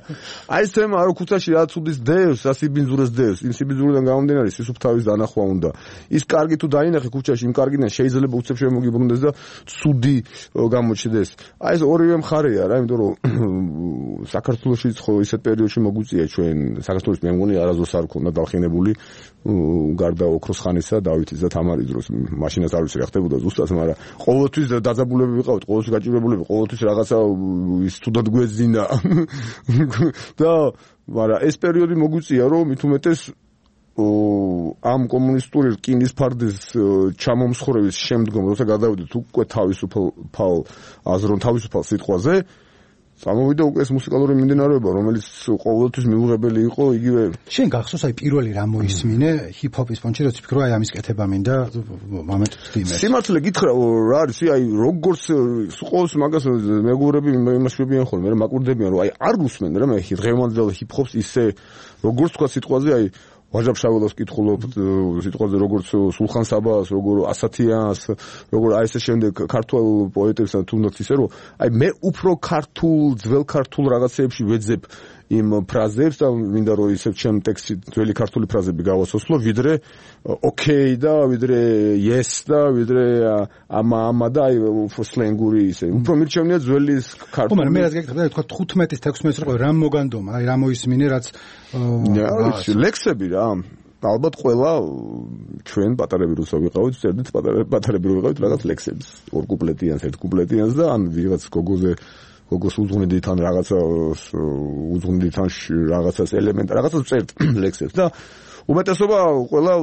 აი ეს თემა რო ქუჩაში რა ცუდის დევს, რა სიბინძურეს დევს, იმ სიბინძურიდან გამომდინარე სისუფთავის დანახვა უნდა. ის კარგი თუ დაინახე ქუჩაში, იმ კარგიდან შეიძლება უცებ შემოგიბრუნდეს და ცუდი გამოჩნდეს. აი ეს ორივე მხარეა რა, იმიტომ რომ საქართველოშიც ხო ისეთ პერიოდში მოგვიწია ჩვენ საქართველოს მე მგონი არასდროს არ ქონდა დახინებული გარდა ოქროს ხანისა დავითის და თამარის დროს მაშინაც არ ვიცი რა ხდებოდა ზუსტად, მაგრამ ყოველთვის დაძაბულები ვიყავით, ყოველთვის გაჭირებულები, ყოველთვის რაღაცა ის თუდად გვეძინა. და მაგრამ ეს პერიოდი მოგვიწია რომ მით უმეტეს ამ კომუნისტური რკინის ფარდის ჩამომსხვრევის შემდგომ როცა გადავიდეთ უკვე თავისუფალ აზრონ თავისუფალ სიტყვაზე სამოვიდა უკვე ეს მუსიკალური მიმდინარეობა რომელიც ყოველთვის მიუღებელი იყო იგივე შენ გახსოვს აი პირველი რა მოისმინე ჰიპ-ჰოპის ფონჩი როცა ფიქრო აი ამის კეთება მინდა მომენტს ვთიმე სიმართლე გითხრა რა არის აი როგორც ყოველს მაგას მეგობრები იმას შვებიან ხოლმე მე მაკვირდებიან რომ აი არ გუსმენ რა მე დღევანდელ ჰიპ-ჰოპს ისე როგორც თქვა სიტყვაზე აი ვაჟა ფშაველას კითხულობ სიტყვაზე როგორც სულხან საბას როგორ ასათიანს როგორ აი ესე შემდეგ ქართულ პოეტებსა თუნდაც ისე რომ აი მე უფრო ქართულ ძველ ქართულ რაღაცეებში ვეძებ იმ ფრაზებს და მინდა რომ ისე ჩემ ტექსტში ძველი ქართული ფრაზები გავასოსლო ვიდრე ოკეი და ვიდრე yes და ვიდრე ამა და აი უფრო სლენგური ისე უფრო მირჩევნია ძველი ქართული მაგრამ მე რაც გეკითხა თქვა 15-ის 16-ის რო რა მოგანდომა აი რა მოისმინე რაც ლექსები რა ალბათ ყველა ჩვენ პატარები როცა ვიყავით წერდით პატარები რო ვიყავით რაღაც ლექსებს ორ კუპლეტიანს ერთ კუპლეტიანს და ან ვიღაც გოგოს უძღვნიდით ან რაღაცა უძღვნიდით ან რაღაცას ელემენტ რაღაცას წერთ ლექსებს და უმეტესობა ყველა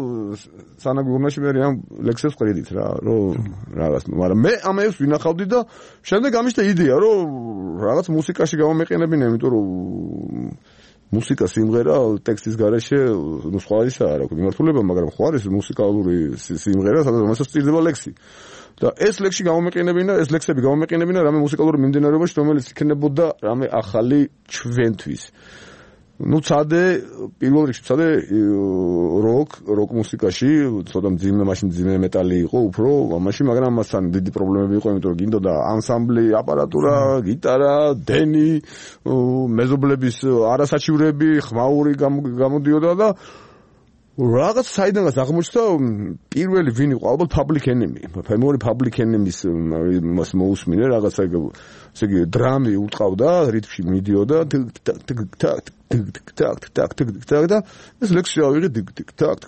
სანაგურნაში მე ამ ლექსებს ყვედით რა რომ რაღაც მაგრამ მე ამებს ვინახავდი და შემდეგ ამიშთა იდეა რომ რაღაც მუსიკაში გამომეყენებინა იმიტომ რომ მუსიკა სიმღერა ტექსტის გარეშე ნუ სხვა ისაა რა ქვია მიმართულება მაგრამ ხო არის მუსიკალური სიმღერა სადაც რომელსაც სწირდება ლექსი და ეს ლექსი გამომეყენებინა ეს ლექსები გამომეყენებინა რამე მუსიკალური მიმდინარეობაში რომელიც იქნებოდა რამე ახალი ჩვენთვის ну цаде პირველ რიგში цаде рок მუსიკაში ცოტა მძიმე მაშინ მძიმე მეტალი იყო უფრო ამაში მაგრამ ამასთან დიდი პრობლემები იყო იმიტომ რომ გინდოდა ანსამბლი აპარატურა გიტარა დენი მეზობლების არასაჩივრები ხმაური გამოდიოდა და რაღაც საიდანაც აღმოჩნდა პირველი ვინ იყო ალბათ Public Enemy ფემორი Public Enemy-ის მას მოусმინე რაღაცა ესე იგი დრამი უტყავდა რითმში მიდიოდა ტაკ და ეს ლექსი ავიღე ტაკ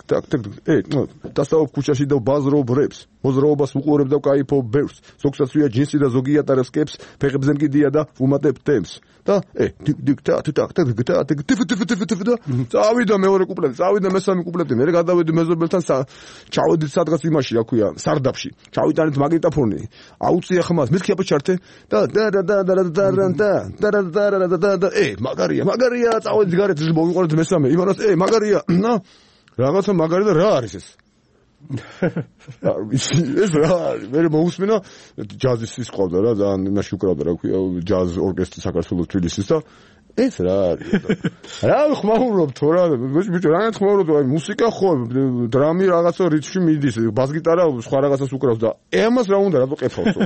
დასწავ ქუჩაში და ბაზრობ რეპს მოზრაობას უყურებ და кайფობ ბევრს ზოგსაც ვია ჯინსი და ზოგი ატარებს კეპს ფეხებზე მკიდია და ვუმატებ თემს და ტაკ წავიდა მეორე კუპლეტი წავიდა მესამე კუპლეტი მე გადავედი მეზობელთან ჩავედით სადღაც იმაში რა ქვია სარდაფში ჩავიტანეთ მაგნიტოფონი აუწია ხმას მეთქი აბა ჩარტე და მაგარია წავედით გარეთ მოვიყურეთ მესამე იმანაც მაგარია რაღაცა მაგარი და რა არის ეს ეს რა მე მოусმინა ჯაზის ის ყავდა რა ძალიან იმაში უკრავდა რა ქვია ჯაზ ორკესტრი საქართველოს თბილისის და ეს რა არის რა ხმაურობ თუ რა ბიჭო რა ხმაურობ აი მუსიკა ხო დრამი რაღაცა რითმში მიდის ბას-გიტარა სხვა რაღაცას უკრავს და ამას რა უნდა რატო ყეფავსო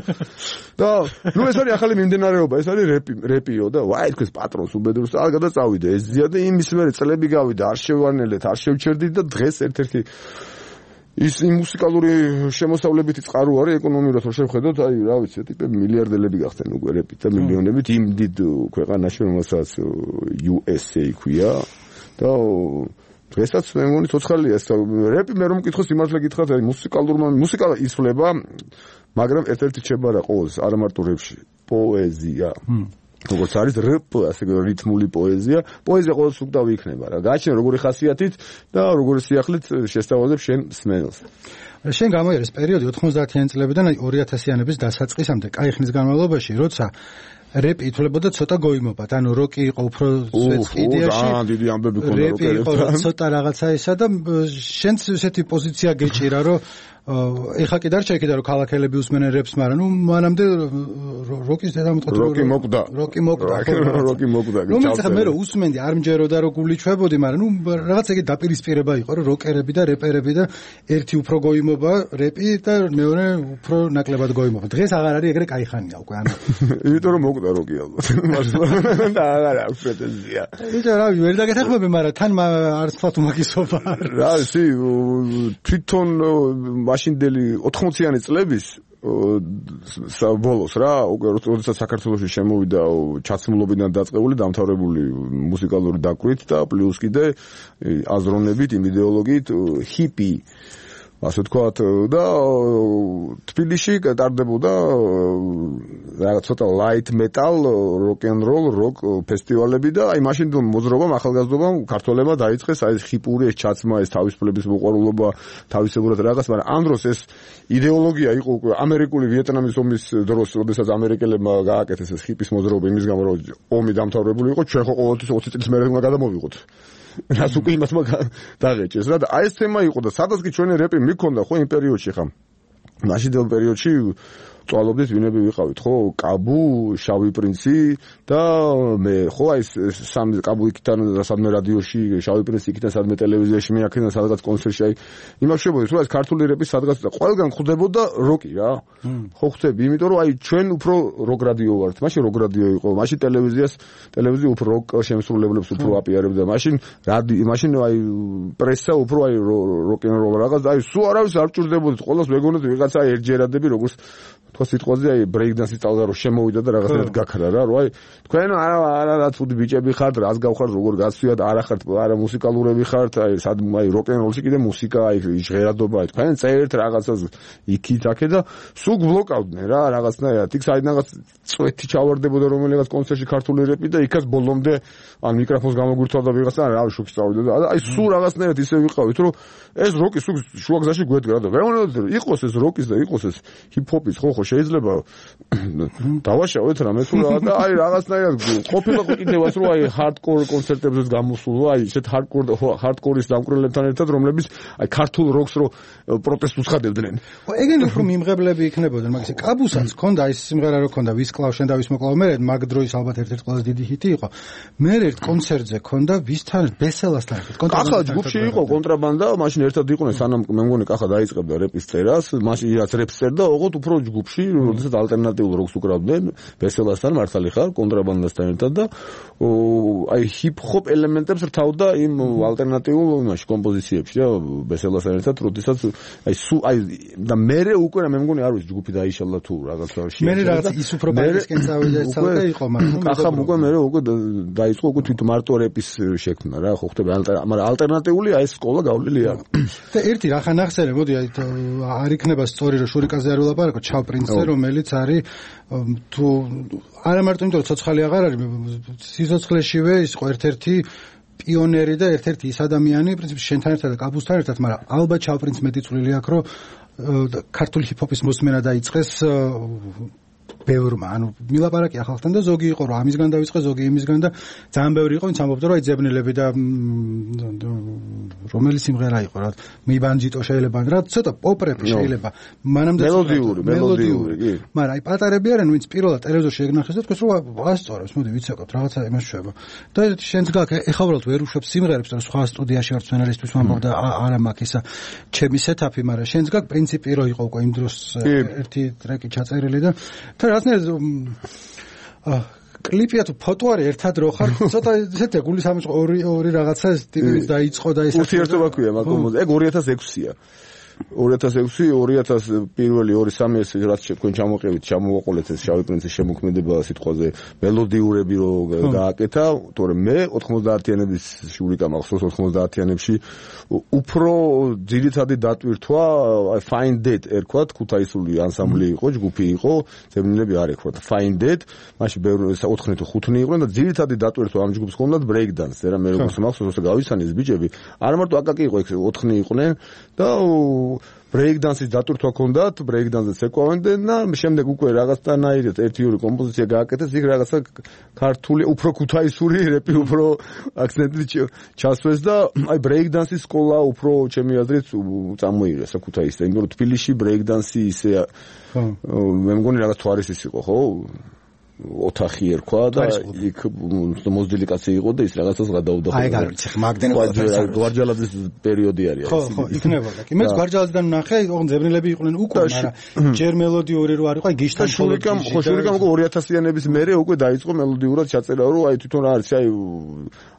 და ნუ ეს არის ახალი მიმდინარეობა ეს არის რეპიო და ვაი თქვენ პატრონს უბედურს არ გადაწავიდე ეს ზია და იმის მერე წლები გავიდა არ შევანელეთ არ შევჩერდით და დღეს ერთ-ერთი ის მუსიკალური შემოსავლებითი წყარო არის ეკონომიურად რო შევხედოთ, აი რა ვიცი, ტიპები მილიარდელები გახდნენ უკვე რეპით და მილიონებით იმ დიდ ქვეყანაში, რომელსაც USA ქვია და დღესაც მე მგონი ცოცხალია ეს რეპი მე რომ მკითხოს სიმართლე გითხრათ, აი მუსიკა იცვლება, მაგრამ ერთ-ერთი რჩება რა ყოველს, არა მარტო რეპში, პოეზია. როგორც არის რეპ, ასე რითმული პოეზია ყოველს უკდავი იქნება რა. გააჩნია როგორი ხასიათით და როგორი სიახლით შესთავაზებ შენ სმენელს. შენ გამოიერეს პერიოდი 90-იანი წლებიდან 2000-იანების დასაწყისამდე, კაი ხნის განმავლობაში, როცა რეპი ითვლებოდა ცოტა გოიმობად, ანუ როკი იყო უფრო სვეტსკიდიაში. დიდი ამბები ქონდა რეპი იყო ცოტა რაღაცა ისა და შენც ესეთი პოზიცია გეჭირა, რომ ეხა კიდარ შეეკიდა რომ ქალაქელები უსმენენ რეპს, მაგრამ ნუ მანამდე როკის დედამოწყვეტი როკი მოკდა. რომელიც ახლა მე რომ უსმენდი არ მჯეროდა რომ გული ჩვებოდი, მაგრამ ნუ რაღაც ეგ დაპირისპირება იყო რომ როკერები და რეპერები და ერთი უფრო გოიმობა რეპი და მეორე უფრო ნაკლებად გოიმობა. დღეს აღარ არის ეგრე კაი ხანია უკვე ანუ. იმიტომ რომ მოკდა როკი ალბათ. და აღარ აქვს პრეტენზია. იცი რა ვერ დაგეთახმები, მაგრამ თან არც თქვა უმაგისობა. რა ისი თვითონ მაშინდელი 80-იანი წლების ბოლოს რა, უკვე როდესაც საქართველოში შემოვიდა ჩაცმულობიდან დაწყებული დამთავრებული მუსიკალური დაკვირით და პლუს კიდე აზროვნებით, იმ იდეოლოგიით ჰიპი ასე ვთქვათ და თბილისში ტარდებოდა რაღაც ცოტა light metal, rock and roll, rock ფესტივალები და აი მაშინ მოძრაობამ, ახალგაზრდობამ ქართველებმა დაიწყეს აი ჰიპური ეს ჩაცმა, ეს თავისუფლების მოყვარულობა, თავისებურად რაღაც, მაგრამ ამ დროს ეს იდეოლოგია იყო უკვე ამერიკული ვიეტნამის ომის დროს, როდესაც ამერიკელებმა გააკეთეს ეს ჰიპის მოძრაობა იმის გამო, რომ ომი დამთავრებული იყო, ჩვენ ხო ყოველთვის 20 წლის მერე უნდა გადამოვიღოთ. რას უკვე იმასმა დაღეჭეს რა და აი ეს თემა იყო და სადაც კი ჩვენი რეპი მიქონდა ხო იმ პერიოდში ხა მაშინდელ პერიოდში წვალობდით ვინები ვიყავით ხო კაბუ, შავი პრინცი და მე ხო აი სამი კაბუ იქიდან სადმე რადიოში, შავი პრინცი იქიდან სადმე ტელევიზიაში მე აქედან სადღაც კონცერტში აი იმას შევედი რომ ეს ქართული რეპი სადღაც და ყველგან ხვდებოდა როკი რა ხო ხვდები იმიტომ რომ აი ჩვენ უფრო როკ რადიო ვართ მაშინ როკ რადიო იყო მაშინ ტელევიზია უფრო როკ შემსრულებლებს უფრო აპიარებდა მაშინ აი პრესა უფრო აი როკ ენ როლ რაღაც აი სულ არავის არ ჭირდებოდით ყოველს მეგონეთ ვიღაცა ერთჯერადები როგორც თქო სიტყვაზე აი ბრეიკდანსის წალდა რომ შემოვიდა და რაღაცნაირად გაქრა რა რომ აი თქვენ არა ცუდი ბიჭები ხართ რას გავხართ როგორ გასვიათ არა ხართ არა მუსიკალურები ხართ აი სად აი როკ ენ როლში კიდე მუსიკა აი ჟღერადობა აი თქვენ წერთ რაღაცას იქით აქე და სულ ბლოკავდნენ რა რაღაცნაირად იქ საიდან რაღაც წვეთი ჩავარდებოდა რომელიღაც კონცერტში ქართული რეპი და იქაც ბოლომდე ან მიკროფონს გამოგვირთვალდა ვიღაცა რა შოქი წავიდა და აი სულ რაღაცნაირად ისე ვიყავით რომ ეს როკი სულ შუაგზაში გვედგა და ვეუბნებოდი იყოს ეს როკის და იყოს ეს ჰიპ-ჰოპის ხო შეიძლება დავაშავეთ რამე თუ რა და აი რაღაცნაირად ყოფილა კიდევაც რომ აი ჰარდკორ კონცერტებზეც გამოსულა აი ესეთ ჰარდკორის დამკვირვებლებთან ერთად რომლებიც აი ქართულ როკს რო პროტესტს უცხადებდნენ ეგენი უფრო მიმღებლები იქნებოდნენ მაგის კაბუსაც ქონდა ის სიმღერა რო ქონდა ვის კლავ შენ და ვის მოკლავ მე მაგ დროის ალბათ ერთ-ერთი ყველაზე დიდი ჰიტი იყო მე ერთ კონცერტზე ქონდა ვისთან ბესელასთან ერთად კახა ჯგუფში იყო კონტრაბანდა მაშინ ერთად იყვნენ სანამ მე მგონი კახა დაიწყებდა რეპის წერას მაშინ რაც რეპს წერდა ოღონდ უფრო ჯგუფში როდესაც ალტერნატიულ როკს უკრავდნენ ბესელასთან მართალი ხარ კონტრაბანდასთან ერთად და აი ჰიპ-ჰოპ ელემენტებს რთავდა იმ ალტერნატიულ იმაში კომპოზიციებში რა ბესელასთან ერთად როდესაც აი და მე უკვე მე მგონი არ ვიცი ჯგუფი დაიშალა თუ რაღაცა მე რაღაც ის უფრო ბაისკენ წავიდა ეს ცალკე იყო მაგრამ კახა უკვე მე უკვე დაიწყო უკვე თვით მარტო რეპის შექმნა რა ხო ხდება მაგრამ ალტერნატიული აი ეს სკოლა გავლილი არ და ერთი რა ხან ახსენე მოდი აი არ იქნება სწორი რომ შურიკაზე არ ვილაპარაკო ჩავ პრინცზე რომელიც არის თუ არა მარტო იმიტომ რომ ცოცხალი აღარ არის სიცოცხლეშივე ის ყო ერთ-ერთი პიონერი და ერთ-ერთი ის ადამიანი პრინციპში შენთან ერთად და კაბუსთან ერთად მაგრამ ალბათ ჩავ პრინც მეტი წვლილი აქვს რომ ქართული ჰიპ-ჰოპის მოსმენა დაიწყეს ბევრმა ანუ მილაპარაკი ახალთან და ზოგი იყო რომ ამისგან დავიწყე ზოგი იმისგან და ძალიან ბევრი იყო ვინც ამბობდა რომ აი ძებნელები და რომელი სიმღერა იყო რა მიბანჯიტო შეიძლება რა ცოტა პოპ რეპი შეიძლება მანამდე მელოდიური კი მაგრამ აი პატარები არიან ვინც პირველად ტელევიზორში ეგნახეს და თქვენს რომ ასწორებს მოდი ვიცეკოთ რაღაცა იმას შვება და შენც გაქ ეხა უბრალოდ ვერ უშვებ სიმღერებს და სხვა სტუდიაში ვარ სცენარისტის ვამბობდა არა მაქვს ისა ჩემი სეტაპი მაგრამ შენც გაქ პრინციპი რო იყო უკვე იმ დროს ერთი ტრეკი ჩაწერილი და კლიპია თუ ფოტო არის ერთად რო ხარ ცოტა ესეთი გულის ამის ორი რაღაცა ტიპის დაიწყო და ეს ურთიერთობა ქვია მაგ ეგ 2006-ია 2006 პირველი 2-3 ეს რაც თქვენ ჩამოყევით, ჩამოვაყოლეთ ეს შავი პრინცის შემოქმედება სიტყვაზე მელოდიურები რო გააკეთა, თორემ მე 90-იანების შურიკა მახსოვს 90-იანებში უფრო ძირითადი დატვირთვა Find It ერქვათ, ქუთაისული ანსამბლი იყო, ჯგუფი იყო, ზევნილები არ ერქვათ. Find It, მაშინ ბევრი 4 თუ 5 იყვნენ და ძირითადი დატვირთვა ამ ჯგუფს ჰქონდათ break dance. რა მე როგორც მახსოვს, გავიცანეს ბიჭები, არა მარტო აკაკი იყო ეგ 4 იყვნენ და break dance-ის დატვირთვა ჰქონდათ, break dance-ს ეკავდნენ და შემდეგ უკვე რაღაცნაირად ერთი-ორი კომპოზიცია გააკეთეს, იქ რაღაცა ქართული, უფრო ქუთაისური რეპი უფრო აქცენტი ჩასვეს და აი break dance-ის სკოლა უფრო ჩემი აზრით წამოიღეს ქუთაისზე, იმიტომ რომ თბილისში break dance-ი ისე მე მგონი რაღაც თვარისის იყო, ხო? ოთახი ერქვა და იქ მოზრდილი კაცი იყო და ის რაღაცას გადაუდა. აი გარიცი მაგდენ გვარჯალაძის პერიოდი არის. ხო, იქნებოდა. კი მეც გვარჯალაძიდან ვნახე, ოღონდ ზევნილები იყვნენ უკვე, მაგრამ ჯერ მელოდიური რო არ იყო, აი გიშთან შურიკამ 2000-იანების მერე უკვე დაიწყო მელოდიურად ჩაწერა, რომ აი თვითონ რა არის, აი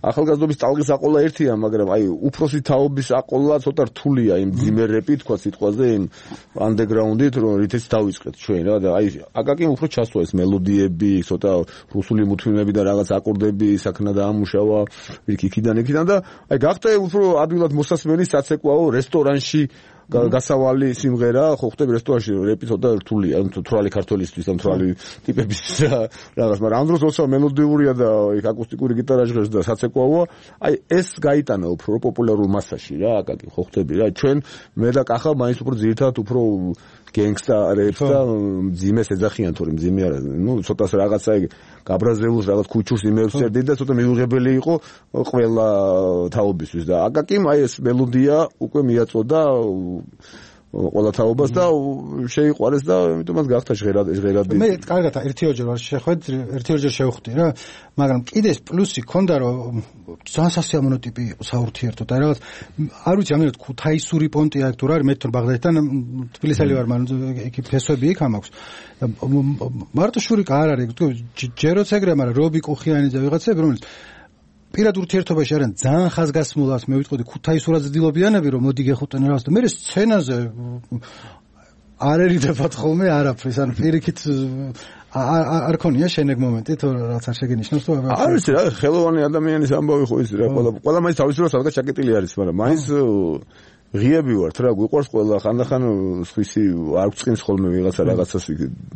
ახალგაზრდობის ტალღის აყოლა ერთია, მაგრამ აი უფროსი თაობის აყოლა ცოტა რთულია იმ ძიმე რეპი თქვა სიტყვაზე, იმ underground-ით, რომ რითიც დავიწყეთ ჩვენ რა და აი აკაკიმ უფრო ჩასვა ეს მელოდიები ცოტა რუსული მუთვინები და რაღაც აკორდები საქნა დაამუშავა იქიდან და აი გახდა უფრო ადვილად მოსასმენი საცეკვაო რესტორანში გასავალი სიმღერა ხო ხტები რესტორანში რეპი ცოტა რთულია თვრალი ქართველისთვის და თვრალი ტიპების რაღაც მაგრამ ამ დროს როცა მელოდიურია და იქ აკუსტიკური გიტარა ჟღერს და საცეკვაოა აი ეს გაიტანა უფრო პოპულარულ მასაში რა აკაკი ხო ხტები რა ჩვენ მე და კახა მაინც უფრო ძირითადად უფრო gangsta raps და ძიმეს ეძახიან თორემ ძიმე არა ნუ ცოტას რაღაცა ეგ გაბრაზეულს რაღაც ქუჩურს იმებს წერდი და ცოტა მიუღებელი იყო ყველა თაობისთვის და აკაკიმ აი ეს მელოდია უკვე მიაწოდა ყველა თაობას და შეიყვარეს და ამიტომაც გახდა ჟღერადი მე კარგად ერთი-ორჯერ ვარ შეხვედ ერთი-ორჯერ შევხვდი რა მაგრამ კიდე ეს პლუსი ქონდა რომ ძალიან სასიამოვნო ტიპი იყო საურთიერთოდ აი რაღაც არ ვიცი ამერად ქუთაისური პონტი აქ თუ რა არის მე თვითონ ბაღდადთან თბილისელი ვარ მაგრამ იქ ფესვები იქ ამაქვს მარტო შურიკა არ არის ჯეროც ეგრე მაგრამ რობი კუხიანი და ვიღაცები რომელიც პირად ურთიერთობაში არიან ძალიან ხაზგასმულად მე ვიტყოდი ქუთაისურად ძდილობიანები რომ მოდი გეხუტენ რაღაც და მე სცენაზე არ ერიდებათ ხოლმე არაფრის ან პირიქით არ ქონია შენეგ მომენტი თუ რაღაც არ შეგენიშნოს თუ არ ვიცი რა ხელოვანი ადამიანის ამბავი ხო ის რა ყველა მაინც თავისუფლად სადღაც ჩაკეტილი არის მაგრამ მაინც ღიები ვართ რა გვიყვარს ყველა ხანდახან სხვისი არ გწყინს ხოლმე ვიღაცა რაღაცას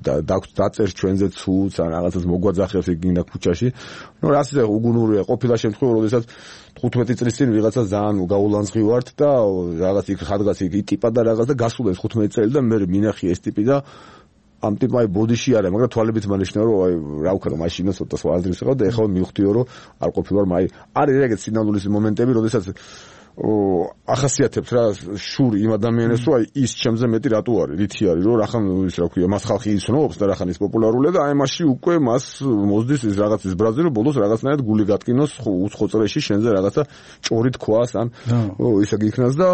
დაწერს ჩვენზე ცუც ან რაღაცას მოგვაძახებს იქ ქუჩაში ნუ რა ისე უგუნურია ყოფილა შემთხვევა როდესაც 15 წლის წინ ვიღაცა ძალიან გაულანძღი ვართ და რაღაც იქ ხადღაც იქ ტიპა და რაღაც და გასულეს 15 წელი და მე მინახი ეს ტიპი და ამ ტიპმა აი ბოდიში არა მაგრამ თვალებით მანიშნა რომ აი რა ვქნა მაშინა ცოტა სვადრის ხავ და ეხლა მივხვდიო რომ არ ყოფილვარ მაი არის ეგეთ სინამდვილის მომენტები როდესაც ახასიათებთ რა შური იმ ადამიანებს რომ აი ის ჩემზე მეტი რატო არის რითი არის რომ რახან ის რა ქვია მას ხალხი იცნობს და რახან ის პოპულარულია და აი მასში უკვე მას მოსდის ის რაღაც ის ბრაზი რომ ბოლოს რაღაცნაირად გული გატკინოს უცხო წრეში შენზე რაღაცა ჭორი თქვას ან ისა გიქნას და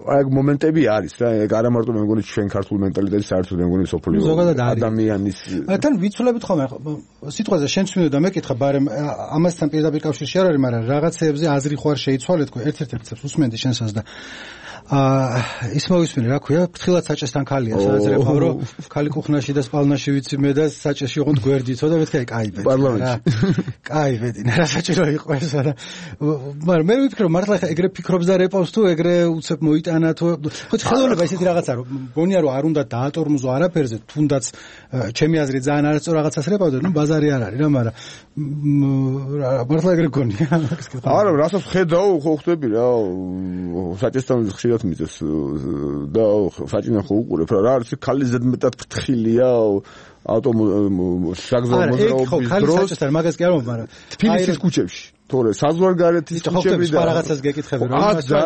აი მომენტები არის რა ეგ არა მარტო მე მგონი ჩვენ ქართულ მენტალიტეტის საერთოდ მე მგონი სოფლიო ადამიანის თან ვიცვლებით ხოლმე სიტყვაზე შენც მინდა მეკითხა ბარემ ამასთან პირდაპირ კავშირში არ არის მაგრამ რაღაცეებზე აზრი ხო არ შეიცვალე თქო ერთ-ერთ უსმენდი შენსას და ის მოვისმინე რა ქვია ფრთხილად საჭესთან ქალია სადაც რეფავ რომ ქალი კუხნაში და სპალნაში ვიცი მე და საჭესში ოღონდ გვერდითო და მეთქი აი კაი ბედი კაი ბედი რა საჭირო იყო ეს რა მაგრამ მე ვიფიქრე რომ მართლა ეგრე ფიქრობს და რეპავს თუ ეგრე უცებ მოიტანა თუ ხო ხელოვნება ისეთი რაღაცა რომ გონია რომ არ უნდა დაატორმოზო არაფერზე თუნდაც ჩემი აზრით ძალიან არასწორ რაღაცას რეპავდა ნუ ბაზარი არ არის რა მაგრამ მართლა ეგრე გონია არა რასაც ხედავ ხო ხვდები რა საჭესთან ხშირად მიწეს და საჭინა ხო უყურებ რა არის ქალი ზედმეტად ფრთხილია შაგზავმოძრაობის დროს საჭესთან მაგას კი არ მომ მაგრამ თბილისის ქუჩებში თორე საზღვარგარეთის ქუჩები და რაღაცას გეკითხები რომ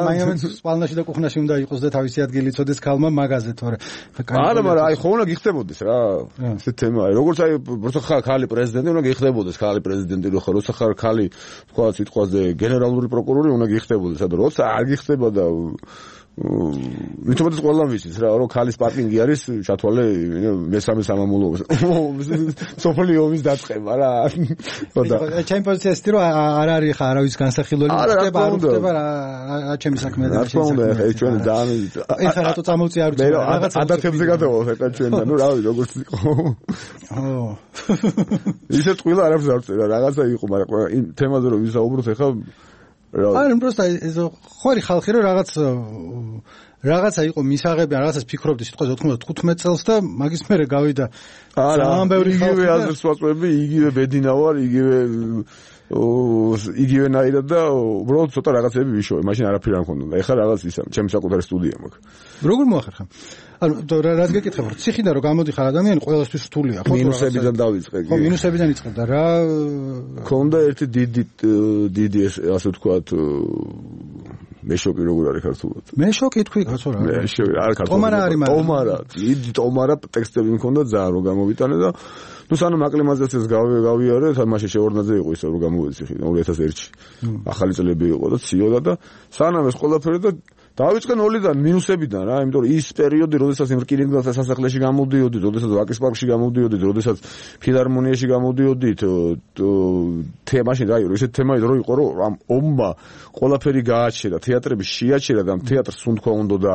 მაინც სპალნაში და კუხნაში უნდა იყოს და თავისი ადგილი იცოდეს ქალმა მაგაზე თორე არა მაგრამ აი ხო უნდა გიხდებოდეს რა ეს თემა როგორც აი როცა ხარ ქალი პრეზიდენტი უნდა გიხდებოდეს ქალი პრეზიდენტი როცა ხარ ქალი თქვა სიტყვაზე გენერალური პროკურორი უნდა გიხდებოდეს და როცა არ გიხდება და მithumetes ყველა ვიცით რა რომ ქალის პარკინგი არის ჩათვალე მესამე სამამულოზე სოფელი ომის დაწყება რა და ჩემ პოზიციას თვითონ არ არის ხა არავის განსახილველი ხდება არ ხდება რა ჩემი საქმე და რა თქმა უნდა ეს ჩვენ ძალიან ეხლა რატო წამოვწი არ ვიცი რაღაცა ადათებზე გადავალ ხა ჩვენ და ნუ რავი როგორც იყო ისე ტყილა არ აქვს არ წერა რაღაცა იყო მაგრამ იმ თემაზე რომ ვისაუბროთ ეხლა არა просто ხორი ხალხი რომ რაღაცა იყო მისაღები რაღაცას ფიქრობდი სიტყვაზე 95 წელს და მაგის მერე გავიდა ძალიან ბევრი იგივე აზრს ვაწვევები იგივე ბედინა ვარ იგივენაირად და უბრალოდ ცოტა რაღაცები ვიშოვე მაშინ არაფერი არ მქონდა ეხლა რაღაც ისა ჩემი საკუთარი სტუდია მაქვს როგორ მოახერხა ანუ რაც გეკითხებ ციხიდან რომ გამოდიხარ ადამიანი ყველასთვის რთულია ხო მინუსებიდან დავიწყე ხო მინუსებიდან იწყებდა რა ქონდა ერთი დიდი ასე ვთქვათ მეშოკი როგორ არის ქართულად მეშოკი თქვი კაცო რა მეშოკი არ ქართულად ტომარა ტექსტები მქონდა ძალიან რომ გამოვიტანე და ნუ სანამ აკლიმატიზაციას გავიარე თამაში შეორნაძე იყო ისე რომ გამოვეცი 2001-ში ახალი წლები იყო და ციოდა და სანამ ეს ყველაფერი და დავიწყე ნოლიდან მინუსებიდან რა იმიტომ რომ ის პერიოდი როდესაც იმ რკინიგზათა სასახლეში გამოდიოდი როდესაც ვაკის პარკში გამოდიოდი როდესაც ფილარმონიაში გამოდიოდი თემაში რა იყო ისეთ თემა იყო რომ ომმა ყველაფერი გააჩერა თეატრები შეაჩერა და თეატრს სუნთქვა უნდა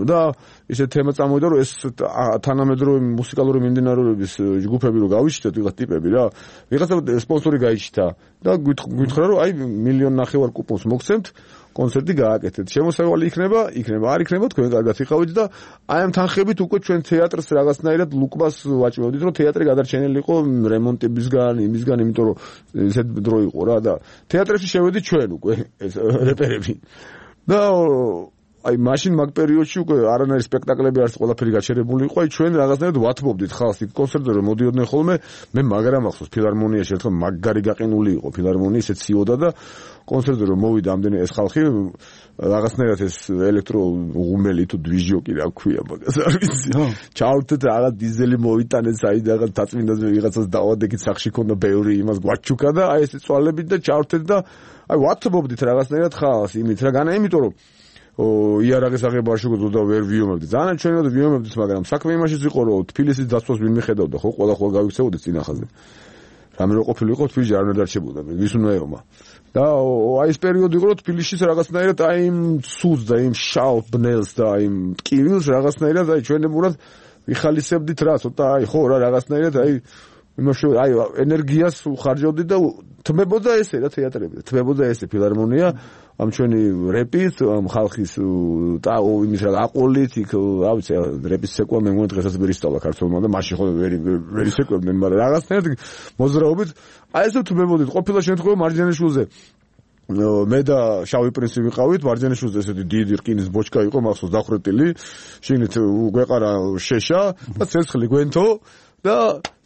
და ისეთ თემა წამოვიდა რომ ეს თანამედროვე მუსიკალური მიმდინარეობების ჯგუფები რო გავიჩნდეთ ვიღაც ტიპები რა ვიღაცა სპონსორი გაიჩნდა და გითხრა რომ აი 1.5 მილიონი კუპონს მოგცემთ კონცერტი გააკეთეთ. შემოსავალი იქნება, არ იქნება, თქვენ კარგად იყავით და აი ამ თანხებით უკვე ჩვენ თეატრს რაღაცნაირად ლუკმას ვაჭმევდით, რომ თეატრი გადარჩენილი იყო რემონტებისგან, იმისგან, იმიტომ რომ ესეთ დრო იყო რა და თეატრებში შევედით ჩვენ უკვე ეს რეპერები. და აი მაშინ მაგ პერიოდში უკვე არანაირი სპექტაკლები არც ყველაფერი გაჩერებული იყო, აი ჩვენ რაღაცნაირად ვათმობდით ხალხს იქ კონცერტზე რომ მოდიოდნენ ხოლმე, მე მაგრამ ახსოვს ფილარმონიაში ერთხელ მაგარი გაყინული იყო ფილარმონია, ისე ციოდა და კონცერტზე რომ მოვიდა ამდენი ეს ხალხი რაღაცნაირად ეს ელექტრო ღუმელი თუ დვიჟოკი რა ქვია მაგას არ ვიცი ჩავთეთ რაღაც დიზელი მოვიტანეთ საიდან რაღაც დაწმინდაზე ვიღაცას დავადეკით სახში ქონდა ბევრი იმას გვაჩუქა და აი ეს წვალებით და ჩავთეთ და აი ვათმობდით რაღაცნაირად ხალხს იმით რა განა იმიტომ რომ იარაღის აღება არ შეგვიძლია და ვერ ვიომებდით. ძალიან ჩვენად ვიომებდით, მაგრამ საქმე იმაშიც იყო, რომ თბილისის დაცვას ვინ მიხედავდა, ხო, ყველა გავიქცეოდით წინახაზე. რამე რო ყოფილიყო თბილისში არ დარჩებოდა, ვის უნდა ეომა. და აი ეს პერიოდი იყო, რომ თბილისში რაღაცნაირად აი იმ ცუდს და იმ შავ ბნელს და იმ ტკივილს რაღაცნაირად აი ჩვენებურად ვიხალისებდით რა, ცოტა აი ხო რა რაღაცნაირად აი იმაში აი ენერგიას უხარჯავდით და თმებოდა ესე რა თეატრები, თმებოდა ესე ფილარმონია ამ ჩვენი რეპის, ამ ხალხის და იმის რა აყოლით იქ, რა ვიცი, რეპის ცეკვა მე მგონი დღესაც ვერ ისწავლა ქართულმა და მაშინ ხო ვერ ისეკვებდნენ, მაგრამ რაღაცნაირად მოძრაობით აი ესე თმებოდით, ყოფილა შემთხვევა მარჯანიშვილზე მე და შავი პრინცი ვიყავით, მარჯანიშვილზე ესეთი დიდი რკინის ბოჩკა იყო, მახსოვს დახრეტილი, შიგნით გვეყარა შეშა და ცეცხლი გვენთო და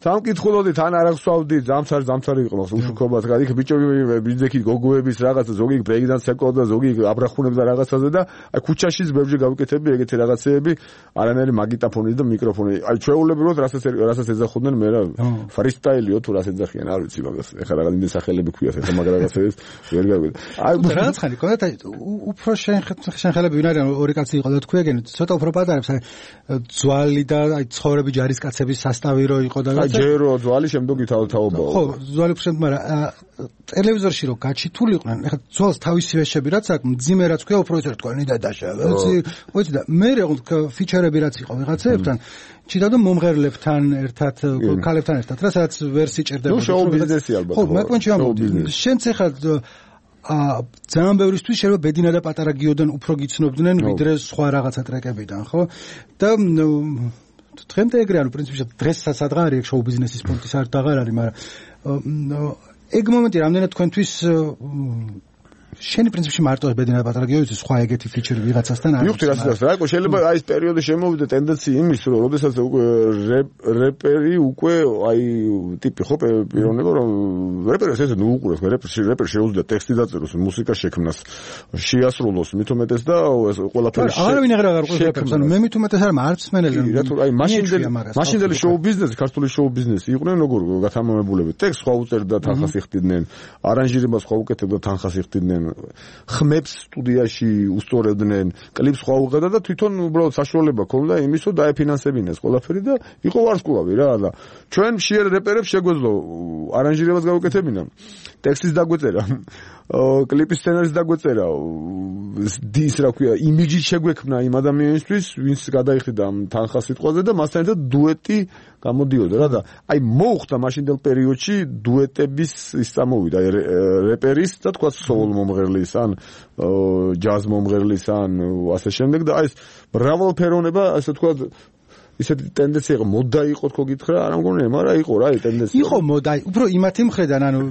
სამკითხულოდით ან არ აღსვავდით დამცარი იყო მას უშუქობად იქ ბიჭები ბიძექით გოგოების რაღაცა ზოგი ბრეიკდანს ეკოდა ზოგი აბრახუნებდა რაღაცაზე და აი ქუჩაშიც ბევრი გავიკეთები ეგეთი რაღაცეები არანაირი მაგიტაფონი და მიკროფონი აი ჩვეულებრივად რასაც ეძახოდნენ მე რა ფრისტაილიო თუ რას ეძახიან არ ვიცი მაგას ეხლა რაღაც იმენ სახელები ქვიათ ეხლა მაგ რაღაცებს ვერ გავიგე აი რაღაც ხანი კონდა უფრო შენხელები ვინ არიან ორი კაცი იყო და თქვენ ცოტა უფრო პატარებს აი ძვალი და აი ცხოვრები ჯარისკაცების სასტავი რო იყო და ჯერო ძვალი შემდგომ ითაობაო ხო ძვალი შემდგომ მაგრამ ტელევიზორში რო გაჩითულიყვნენ ეხლა ძვალს თავისი ვეშები რაც აქვს მძიმე რაც ქვია უფრო ისე თქვენი და დაშა ვიცი და მე ფიჩერები რაც იყო ვიღაცებთან ჩიტადო მომღერლებთან ერთად ქალებთან ერთად რასაც ვერ სიჭერდება ნუ შოუ ბიზნესი ალბათ ხო მეკონჩი ამბობდი შენც ეხლა ძალიან ბევრისთვის შეიძლება ბედინა და პატარა გიოდან უფრო გიცნობდნენ ვიდრე სხვა რაღაცა ტრეკებიდან ხო და დღემდე ეგრე ანუ პრინციპში დღესაც ადღარ არის შოუ ბიზნესის პუნქტი საერთოდ აღარ არის მაგრამ ეგ მომენტი რამდენად თქვენთვის შენი პრინციპში მარტო ბედინა და პატარა გიოდის სხვა ეგეთი ფიჩერი ვიღაცასთან არის მივხვდი რასაც რა იყო შეიძლება აი ეს პერიოდი შემოვიდა ტენდენცია იმის რომ როდესაც უკვე რეპერი უკვე აი ტიპი ხო პიროვნება რომ რეპერს ესე ნუ უყურებს რეპერ შეუძლია ტექსტი დაწეროს მუსიკა შექმნას შეასრულოს მით უმეტეს და ეს ყველაფერი არავინ აღარ უყურებს რეპერს ანუ მე მით უმეტეს არ მარც მენელი რა თუ აი მაშინდელი შოუ ბიზნესი ქართული შოუ ბიზნესი იყვნენ როგორ გათამამებულები ტექსტს სხვა უწერდა თანხას იხდიდნენ არანჟირებას სხვა უკეთებდა თანხას იხდიდნენ ხმებს სტუდიაში უსწორებდნენ, კლიპს სხვა უღებდა და თვითონ უბრალოდ საშუალება ქონდა იმის, რომ დაეფინანსებინეს ყველაფერი და იყო ვარსკვლავი რა და ჩვენ მშიერ რეპერებს შეგვეძლო არანჟირებას გავუკეთებინა, ტექსტის დაგვეწერა, კლიპის სცენარის დაგვეწერა, დის რა ქვია, იმიჯი შეგვექმნა იმ ადამიანისთვის, ვინც გადაიხდიდა ამ თანხას სიტყვაზე და მასთან ერთად დუეტი გამოდიოდა რა და აი მოუხდა მაშინდელ პერიოდში დუეტების ის წამოვიდა რეპერის და თქვა soul მომღერლის ან ჯაზ მომღერლის ან ასე შემდეგ და აი ეს მრავალფეროვნება ასე თქვა ისეთი ტენდენცია იყო მოდა იყო თქო გითხრა არ მგონია მაგრამ იყო რა ტენდენცია იყო მოდა უფრო იმათი მხრიდან ანუ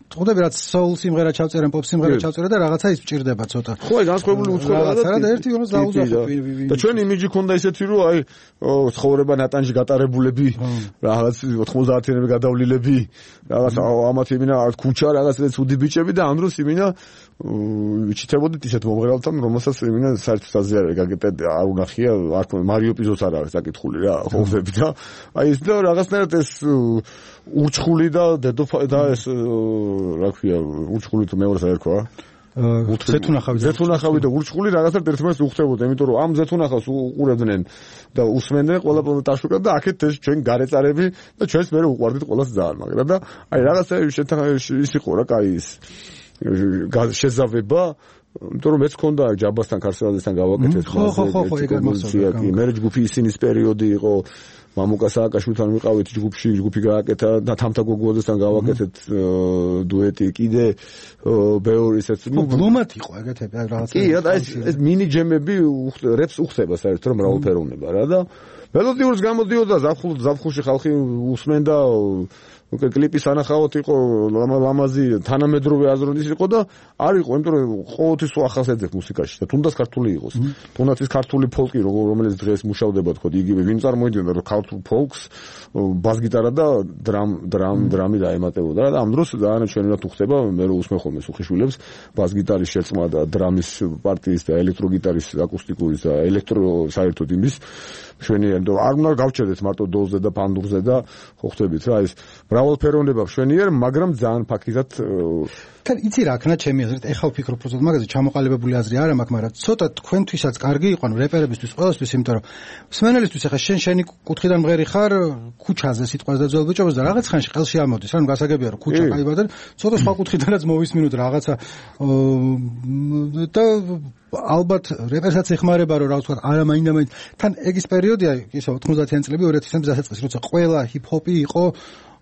ხოდები რაც soul სიმღერა ჩავწერენ pop სიმღერა ჩავწერენ და რაღაცა ის მჭირდება ცოტა ხო აი განსხვავებული უცხოა და ერთი რომ დაუზახო და ჩვენ იმიჯი ქონდა ისეთი რომ აი ცხოვრება ნატანში გატარებულები რაღაც 90-იანები გადავლილები რაღაც ამათ იმინა ქუჩა რაღაც ცუდი ბიჭები და ამ დროს იმინა ვიჩიტებოდით ისეთ მომღერალთან რომელსაც იმინა საერთოდ აზიარე არ უნახია არ მარიო პიზოს არ არის საკითხული რა ხოვები და აი ეს და რაღაცნაირად ეს ურჩხული და და ეს რა ქვია ურჩხული თუ მეორეს არ ერქვა ზეთუნახავი და ურჩხული რაღაცა ერთმანეთს უხდებოდა იმიტომ რომ ამ ზეთუნახავს უყურებდნენ და უსმენდნენ ყველა ტაშუკა და აქეთ ეს ჩვენ გარეწარები და ჩვენს მე უყვარდით ყველას ძალიან მაგრამ და აი რაღაცა ის იყო რა კაი ის შეზავება იმიტომ რომ მეც ქონდა ჯაბასთან ქარსელაძესთან გავაკეთეთ ხო ეგ მასწავლა მე ჯგუფი ისინის პერიოდი იყო მამუკა სააკაშვილთან ვიყავით ჯგუფი გააკეთა და თამთა გოგუაძესთან გავაკეთეთ დუეტი კიდე ბევრი ისეთ ბლომად იყო ეგეთები რაღაცა კი რა ეს მინი ჯემები რეპს უხდება საერთოდ რომ მრავალფეროვნება რა და მელოდიურს გამოდიოდა ზაფხულში ხალხი უსმენდა კლიპის ანახავთ იყო ლამაზი თანამედროვე აზროვნის იყო და არ იყო იმიტომ რომ ყოველთვის ახასიათებს მუსიკაში და თუნდაც ქართული იყოს თუნდაც ის ქართული ფოლკი რომელიც დღეს მუშავდება თქო იგივე ვინ წარმოიდგენდა რომ ქართულ ფოლკს ბას-გიტარა და დრამი დაემატებოდა და ამ დროს ძალიან ჩვენურად უხდება მე რო უსმენ ხოლმე სუხიშვილებს ბას-გიტარის შერწყმა და დრამის პარტიის და ელექტროგიტარის აკუსტიკურის და ელექტრო საერთოდ იმის შვენიერ და არ უნდა გავჩერდეთ მარტო დოლზე და ფანდურზე და ხო ხვდებით რა ეს მრავალფეროვნება შვენიერ მაგრამ ძალიან ფაქიზად თან იცი რა ქნა ჩემი აზრით ეხლა ვფიქრობ პროცესს მაგაზე ჩამოყალიბებული აზრი არ მაქვს მაგრამ ცოტა თქვენთვისაც კარგი იყო ანუ რეპერებისთვის ყველასთვის იმიტომ რომ მსმენელისთვის ეხლა შენი კუთხიდან მღერი ხარ ქუჩაზე სიტყვას და ძველ ბიჭობას და რაღაც ხანში ყელში ამოდის ანუ გასაგებია რომ ქუჩა კაიბა და ცოტა სხვა კუთხიდანაც მოვისმინოთ რაღაცა და ალბათ რეპერსაც ეხმარება რომ რა ვთქვა არა მაინდა-მაინც თან ეგის პერიოდია ისე 90-იან წლები 2000-იან დასაწყისი როცა ყველა ჰიპ-ჰოპი იყო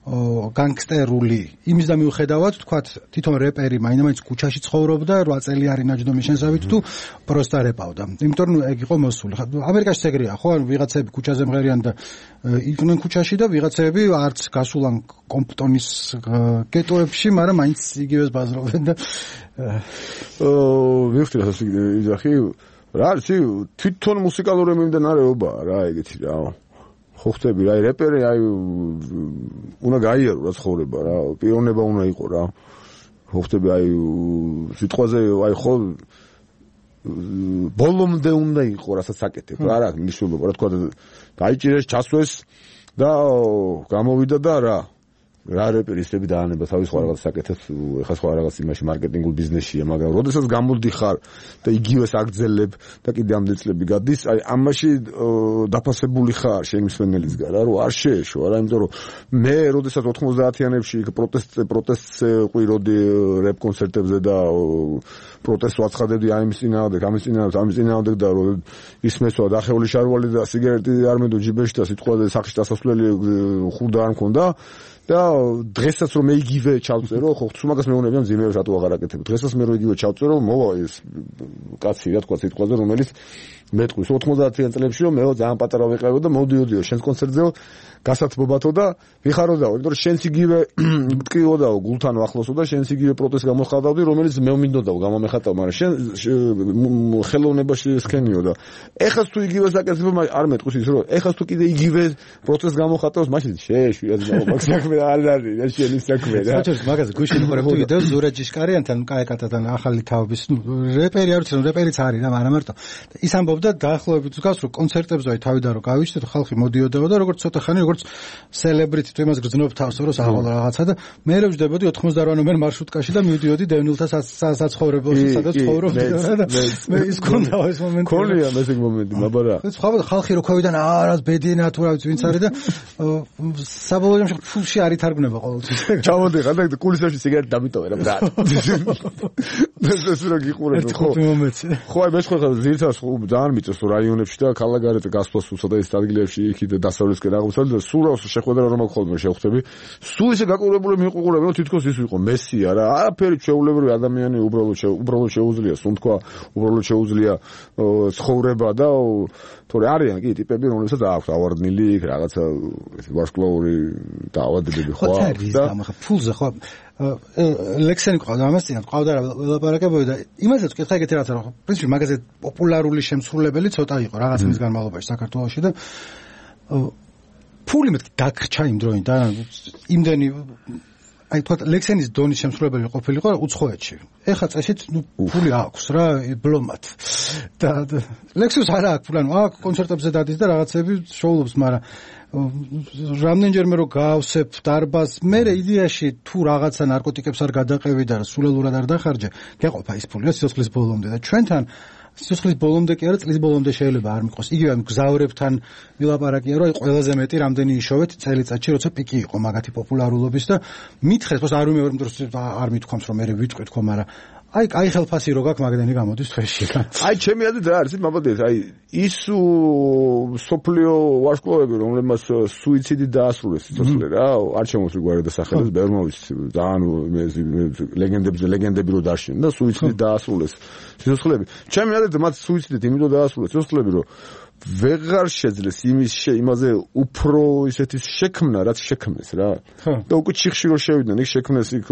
განგსტერული იმის და მიუხედავად თქვათ თვითონ რეპერი მაინდა-მაინც ქუჩაში ცხოვრობდა 8 წელი არის ნაჯდომის შენსავით თუ პროსტა რეპავდა იმიტომ რომ ეგ იყო მოსული ამერიკაში ეგრეა ხო ანუ ვიღაცები ქუჩაზე მღერიან და იყვნენ ქუჩაში და ვიღაცები არც გასულან კომპტონის გეტოებში მაგრამ მაინც იგივეს ბაზრობენ და ვიხდი რა ისახი რა ისი თვითონ მუსიკალური მიმდინარეობაა რა ეგეთი რა ხო ხტები რა რეპერი აი უნდა გაიარო რა ცხოვრება რა პიროვნება უნდა იყო რა ხო ხტები აი სიტყვაზე აი ხო ბოლომდე უნდა იყო რასაც აკეთებ რა რა მნიშვნელობა რა თქვა დაიჭირეს ჩასვეს და გამოვიდა და რა რეპერისტები დაანება თავის სხვა რაღაც საკეთებს ეხლა სხვა რაღაც იმაში მარკეტინგულ ბიზნესშია მაგრამ როდესაც გამოდიხარ და იგივეს აგძელებ და კიდე ამდენ წლები გადის აი ამაში დაფასებული ხარ შენი მსმენელისგან რა რომ არ შეეშო რა იმიტომ რომ მე როდესაც 90-იანებში პროტესტს ყვიროდი რეპ კონცერტებზე და პროტესტს ვაცხადებდი ამის წინააღმდეგ და ისმესვა დახეული შარვალი და სიგარეტი არ მედო ჯიბეში და სიტყვაზე სახში დასასვლელი ხურდა არ მქონდა და დღესაც რომ მე იგივე ჩავწერო ხო ხუმაგას მეუბნებიან ზიმეებს რატო აღარ აკეთებ დღესაც მე რომ იგივე ჩავწერო მოვა ეს კაცი რა თქვა სიტყვაზე რომელიც მეტყვის 90-იან წლებში რომ მეო ძალიან პატარა ვიყავო და მოვდიოდიო შენს კონცერტზე გასათბობათო და ვიხაროდაო იმიტომ რომ შენს იგივე ტკიოდაო გულთან ახლოსო და შენს იგივე პროტესტს გამოხატავდი რომელიც მე მინდოდაო გამომეხატავ მაგრამ შენ ხელოვნებაში სქენიო და ეხაც თუ იგივეს აკეთებ არ მეტყვის ის რომ ეხაც თუ კიდე იგივე პროტესტს გამოხატავს მაშინ შეეშვია მაგ საქმე საქმე არ არის, შენი საქმე რა. ხოჭოს მაგაზე გუშინ უყურებდი ვიდეოს ზურაჯიშკარიანთან, კაეკატათან ახალი თაობის, რეპერი არ ვიცი, რეპერიც არის რა, არა მარტო. ის ამბობდა დაახლოებით გავს რომ კონცერტებზე აი თავიდან რომ გავიჩნდეთ, ხალხი მოდიოდა და როგორც ცოტა ხანი როგორც სელებრიტი თუ იმას გრძნობ თავს რომ აღვალ რაღაცა და მე რევждებოდი 98 ნომერ მარშრუტკაში და მივდიოდი დევნილთა საცხოვრებელში, სადაც ცხოვრობდი და მე ის კონდა ეს მომენტი. ქონია მე ეს მომენტი, მაბარა. სხვა ხალხი რო ქვევიდან არას ბედინა თუ რა ვიცი ვინც არის და საბოლოო ჯამში ფულში არ ითარგმნება ყოველთვის. ჩამოდიხარ და კულისებში სიგარეტი დამიტოვე რა ბრატ. ეს რა გიყურებ ხო? ხო აი მე სხვა ძირითადად ძალიან მიწევს რაიონებში და ქალაქგარეთ გასვლას უსა და ეს ადგილებში იქით დასავლეთისკენ აღმოსავლეთ და სულ რას შეხვედრა რომ ხოლმე შევხვდები. სულ ისე გაკურებული მიყურები რომ თითქოს ის იყო მესია რა. არაფერი ჩვეულებრივი ადამიანი უბრალოდ შეუძლია სუნთქვა, უბრალოდ შეუძლია ცხოვრება და თორე არიან კი ტიპები რომლებსაც აქვს ავარდნილი რაღაცა ვარსკვლავური დაავადებები ხო აქვს და ფულზე ხო ლექსენი ყავდა ამასწინათ ყავდა რა ველაპარაკებოდი და იმასაც ვკითხა ეგეთი რაღაცა რომ პრინციპი მაგაზე პოპულარული შემსრულებელი ცოტა იყო რაღაც მის განმავლობაში საქართველოში და ფული მეთქი დაგრჩა იმ დროიდან იმდენი აი თქვა ლექსენის დონის შემსრულებელი ყოფილიყო უცხოეთში. ეხლა წესით ფული აქვს რა ბლომად. და ლექსის არა აქვს ფული, აქვს კონცერტებზე დადის და რაღაცები შოულობს, მაგრამ რამდენჯერმე რომ გავსებ დარბას, მე იდეაში თუ რაღაცა ნარკოტიკებს არ გადაყევი და სულელურად არ დახარჯე, გეყოფა ის ფული სიცოცხლის ბოლომდე და ჩვენთან სიცოცხლის ბოლომდე კი არა, წლის ბოლომდე შეიძლება არ მიყვოს. იგივე ამ გზავრებთან ვილაპარაკია, რომ აი ყველაზე მეტი რამდენი იშოვეთ წელიწადში, როცა პიკი იყო მაგათი პოპულარულობის და მითხეს, πως არ ვიმეორებ დროს არ მithქვამს, რომ მე ვიტყვი თქო, მაგრამ აი კაი ხელფასი რო გაქვს მაგდენი გამოდის თვეში. აი ჩემი აზრით რა არის, მაბადეთ, აი ის სოფლიო ვარსკვლავები, რომლებმაც სუიციდი დაასრულეს სიცოცხლე რა, არ შემოსული გვარი და სახელებს ბევრმა ვიცი, ძალიან ლეგენდები რო დაშინენ და სუიციდი დაასრულეს სიცოცხლეები. ჩემი აზრით მათ სუიციდით იმიტომ დაასრულეს სიცოცხლეები, რომ ვეღარ შეძლეს იმაზე უფრო ისეთი შექმნა, რაც შექმნეს რა. და უკვე ჩიხში რო შევიდნენ, იქ შექმნეს იქ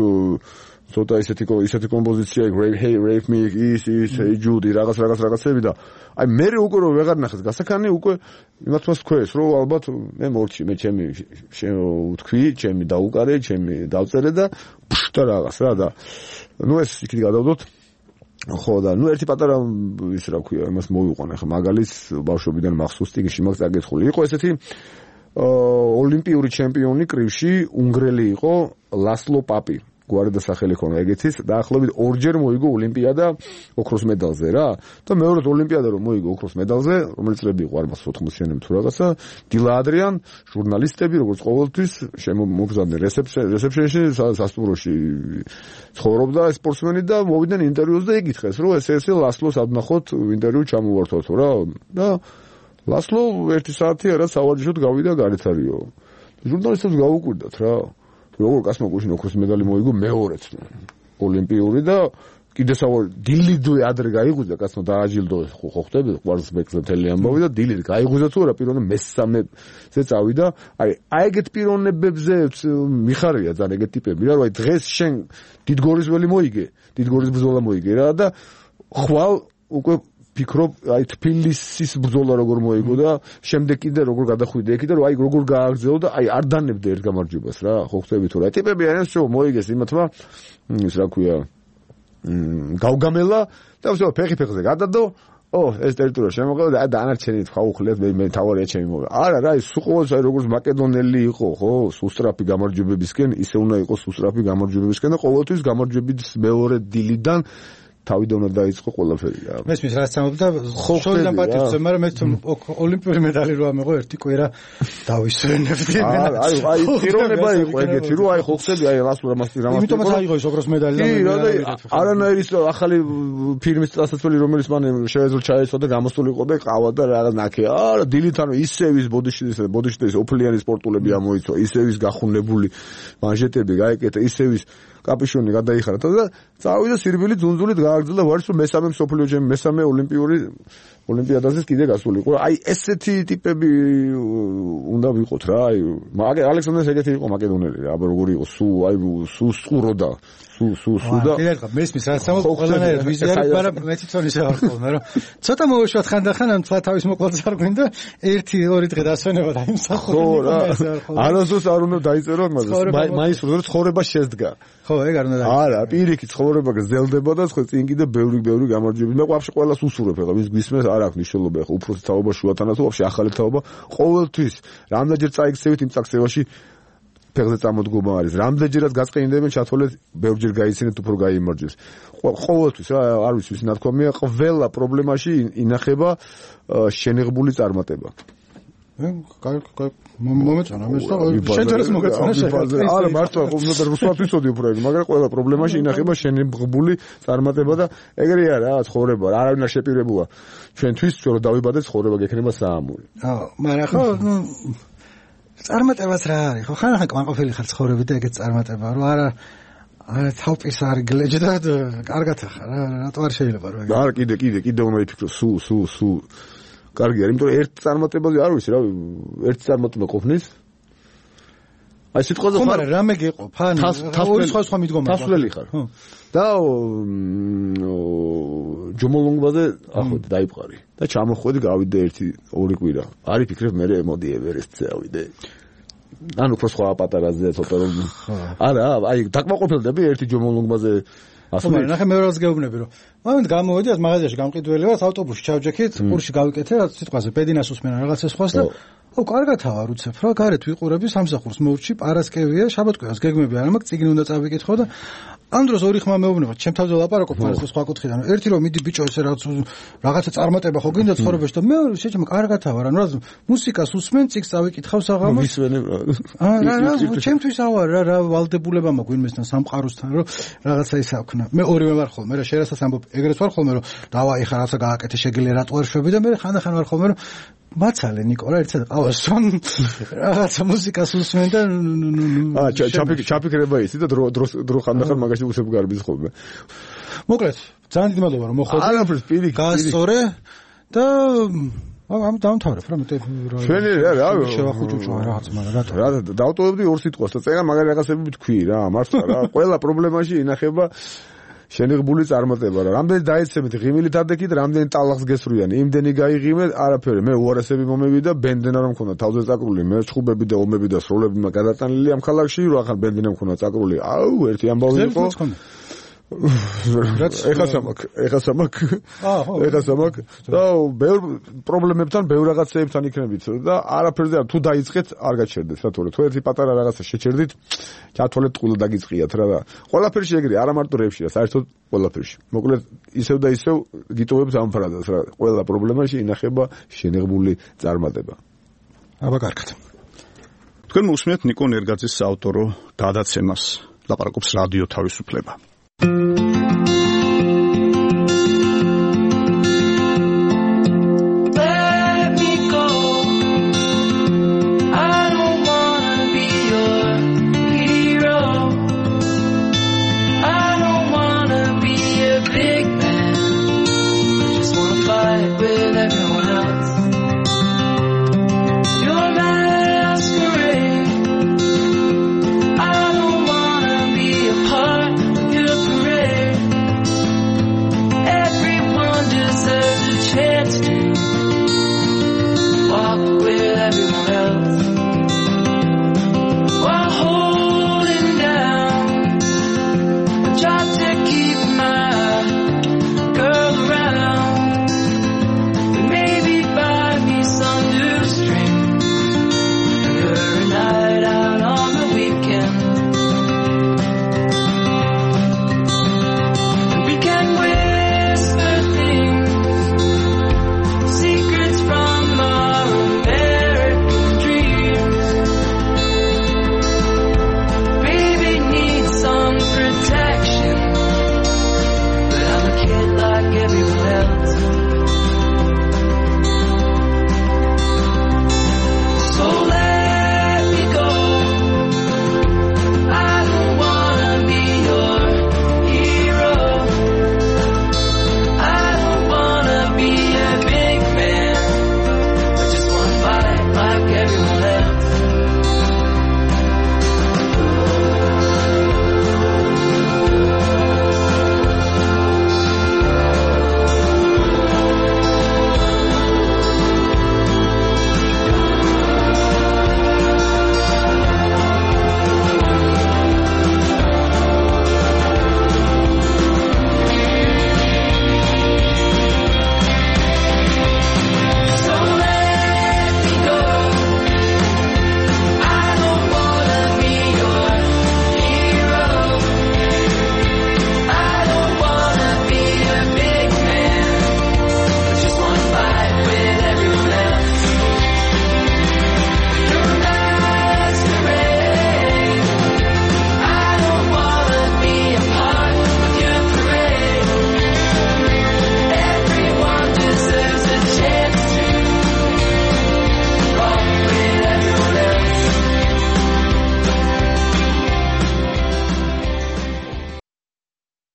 ცოტა ისეთი კომპოზიცია იქ rape me is hey Judy რაღაცები და აი მე უკვე რო ვეღარ ნახეს გასაქანი უკვე იმათვას ქვეს რომ ალბათ მე მორჩი მე ჩემი ვთქვი ჩემი დაუკარე ჩემი დავწერე და და რაღაც რა და ნუ ეს იქით გადავდოთ ხო და ნუ ერთი პატარა ის რა ქვია იმას მოვიყვანე ხა მაგალითს ბავშვობიდან მახსოვს ტიგში მაგ წაგეთხული იყო ესეთი ოლიმპიური ჩემპიონი კრივში უნგრელი იყო ლასლო პაპი გვარი და სახელი ქონა ეგეთის დაახლოებით ორჯერ მოიგო ოლიმპიადა ოქროს მედალზე რა და მეორედ ოლიმპიადა რომ მოიგო ოქროს მედალზე რომელიც წლები იყო არ მას 80-იანები თუ რაღაცა დილა ადრიან ჟურნალისტები როგორც ყოველთვის შემოგზავნე რეცეპშენში სასტუმროში ცხოვრობდა სპორტსმენი და მოვიდნენ ინტერვიუს და იკითხეს რომ ესე ლასლოს ადნახოთ ინტერვიუ ჩამოვართვათ რა და ლასლო 1 საათი არა სავარჯიშოდ გავიდა გარეთარიო ჟურნალისტებს გაუკვირდათ რა როგორ კაცმა გუშინ ოქროს медали მოიგო მეორეც ოლიმპიური და კიდე სავალ დილიდვე ადრე გაიღვიძა კაცმა დააჯილდო ხო ხვდები კვარცხლბეკზე მთელი ამბავი და დილით გაიღვიძა თუ არა პიროვნე მესამეზე წავიდა აი ეგეთ პიროვნებებზე მიხარია ძალიან ეგეთ ტიპები რა რომ აი დღეს შენ დიდგორისველი მოიგე დიდგორის ბრძოლა მოიგე რა და ხვალ უკვე ფიქრობ აი თბილისის ბრძოლა როგორ მოიგო და შემდეგ კიდე როგორ გადახვიდე იქ და აი როგორ გააგრძელო და აი არ დანებდე ერთ გამარჯვებას რა ხო ხვდები თუ რა ტიპები არიან შო მოიგეს იმათმა ის რა ქვია გავგამელა და ვსო ფეხზე გადადო ეს ტერიტორია შემოყელა და დანარჩენი თქვა უხლეთ მე თავარია ჩემი მოვა არა რა ის უყოს აი როგორც მაკედონელი იყო ხო სუსტრაფი გამარჯვებებისკენ ისე უნდა იყოს სუსტრაფი გამარჯვებებისკენ და ყოველთვის გამარჯვების მეორე დილიდან თავიდან უნდა დაიწყო ყველაფერი რა. მესმის რაც ამბობდა შორიდან პატივზე, მაგრამ ეს ოლიმპიური медали რო ამეღო ერთი კვირა დავისვენებდი. აი პიროვნება იყო ეგეთი, რომ აი ხო ხსები აი რამას იმიტომაც აიღო ის ოქროს медали და არანაირის ახალი ფილმის წასაწველი რომელიც მან შეეძლო ჩაეცვა და გამოსული იყო და ყავა და რაღაც ნაკე. არა დილით ანუ ისევის ბოდიში ოფლიანი სპორტულები ამოიცვა, ისევის გახუნებული მანჟეტები გაეკეთა, ისევის კაპიშონი გადაიხარა და წავიდა სირბილი ძუნძულით გააგრძელდა ვარის რომ მესამე მსოფლიო ჩემპიონი მესამე ოლიმპიადაზე კიდე გასულიყო. აი ესეთი ტიპები უნდა ვიყოთ რა. აი ალექსანდრეს ეგეთი იყო მაკედონელი რა, როგორი იყო სულ სყუროდა. სულ და მესმის რაც ამბობ ყველანაირად ვიზიარებ, მაგრამ მე თვითონ ისე ვარ ხოლმე რომ ცოტა მოვუშვათ ხანდახან ამ თლა თავის მოკლად არ გვინდა 1-2 დღე დასვენება და იმ სახელი. არასდროს არ უნდა დაიწერო მაგას. მაინც რომ ცხოვრება შედგა. ხო, ეგ არ უნდა დაიწერო. არა, პირიქით ცხოვრება გრძელდება და ხო წინ კიდე ბევრი გამარჯვებები. მე ვაფშე ყველას უსურვებ ახლა ვის გვისმენს არ აქვს მნიშვნელობა ახლა უფროსი თაობა შუათანა თუ ვაფშე ახალი თაობა ყოველთვის რამდენჯერ წაიქცევით იმ წაქცევაში ფეხზე წამოდგომა არის. რამდენჯერაც გაწყინდებენ ჩათვალეთ ბევრჯერ გაიცინეთ უფრო გაიმარჯვებს. ყოველთვის რა არ ვიცი ვის ნათქვამია ყველა პრობლემაში ინახება შენიღბული წარმატება. მომეწონა მე შენ ჯერს მოგეწონა არა მართლა უნდა რუსულად ვიცოდი უფრო ეგ მაგრამ ყველა პრობლემაში ინახება შენიღბული წარმატება და ეგრე არა ცხოვრება არავინ არ შეპირებულა ჩვენთვის რომ დავიბადეთ ცხოვრება გექნება საამური. მაგრამ ხო წარმატებაც რა არის ხო ხანახან კმაყოფილი ხარ ცხოვრებით და ეგეც წარმატება რომ არა თავის არ გლეჯ და კარგად ახლა რატო არ შეიძლება რომ არა კიდე უნდა იფიქრო სულ კარგი არის იმიტომ რომ ერთ წარმატებაზე არ ვიცი რა ერთი წარმატება ყოფნის აი სიტყვაზე ხარ მაგრამ რამე გეყოფ ან ორი სხვა მიდგომა თასვლელი ხარ და ჯომოლონგვაზე ახოთ დაიპყარი და ჩამოხვედი გავიდე 1-2 კვირა არის ფიქრებ მე მოდი ევერესტზე ავიდე ანუ უფრო სხვა პატარაზე ცოტა რომ არა აი დაკმაყოფილდები ერთი ჯომოლონგვაზე ახლა ნახე მე რას გეუბნები რომ მომენტ გამოვედი ამ მაღაზიაში გამყიდველი ვარ ავტობუსში ჩავჯექით ყურში გავიკეთე რა სიტყვაზე პედინას უსმენა რაღაცა სხვას და კარგათავ არ უცებ რა გარეთ ვიყურები სამსახურს მოვრჩი პარასკევია შაბათ-კვირას გეგმები არა მაქვს წიგნი უნდა წავიკითხო და ამ დროს ორი ხმა მეუბნება ჩემ თავზე ლაპარაკობ მას სხვა კუთხიდან ერთი რომ მიდი ბიჭო ესე რაღაცა წარმატება ხო გინდა ცხოვრებაში და მეორე შეჭამ კარგათავ არა რა მუსიკას უსმენ წიგს წავიკითხავ საღამოს მისვენებ რა ჩემთვის ავარ რა ვალდებულება მაქვს ვინმესთან სამყაროსთან რომ რაღაცა ისა ვქნა მე ორივე ვარ ხოლმე რა შენ რასაც ამბობ ეგრეთ ვარ ხოლმე რომ დავაი ხარ რაღაცა გააკეთე შეგიძლია რატო არ შვები და მე ხანდახან ვარ ხოლმე რომ მაცალე ნიკოლა ერთად ყავასόν რაღაცა მუსიკას უსმენ და ჩაფიქრება ისი და დრო ხანდახან მაგაში უსებ გარბის ხოლმე მოკლედ ძალიან დიდი მადლობა რომ მოხვედი არაფერს პირიქით გასწორე და ამ დამთავრებ რა მეტი ჩვენი რა შევახუჭუჭო რაღაც მაგრამ რატო რა დავტოვებდი ორ სიტყვას და წერა მაგარი რაღაცები თქვი რა მართლა რა ყველა პრობლემაში ინახება შენიღბული წარმატება რა რამდენი დაეცემით ღიმილით ადექით რამდენი ტალახს გესრუიან იმდენი გაიღიმეთ არაფერი მე უარესები მომევიდა ბენდენა რომ მქონდა თავზე წაკრული მე ჩხუბები და ომები და სროლები მაგადატანილი ამ ქალაქში რომ ახლა ბენდენა მქონდა წაკრული აუ ერთი ამბავი იყო ეხა სამაკ და ბევრ პრობლემებთან ბევრ რაღაცეებთან იქნებით და არაფერზე თუ დაიწყეთ არ გაჩერდეთ რა თორე თუ ერთი პატარა რაღაცა შეჩერდით ჩათვალეთ ყულა დაგიწყიათ რა ყველაფერში ეგრე არა მარტო რეფშია საერთოდ ყველაფერში მოკლედ ისევ და ისევ გიტოვებს ამ ფრაზას რა ყველა პრობლემაში ინახება შენიღბული წარმატება აბა კარგად თქვენ მოусმენთ ნიკო ნერგაძის საავტორო გადაცემას ლაპარაკობს რადიო თავისუფლება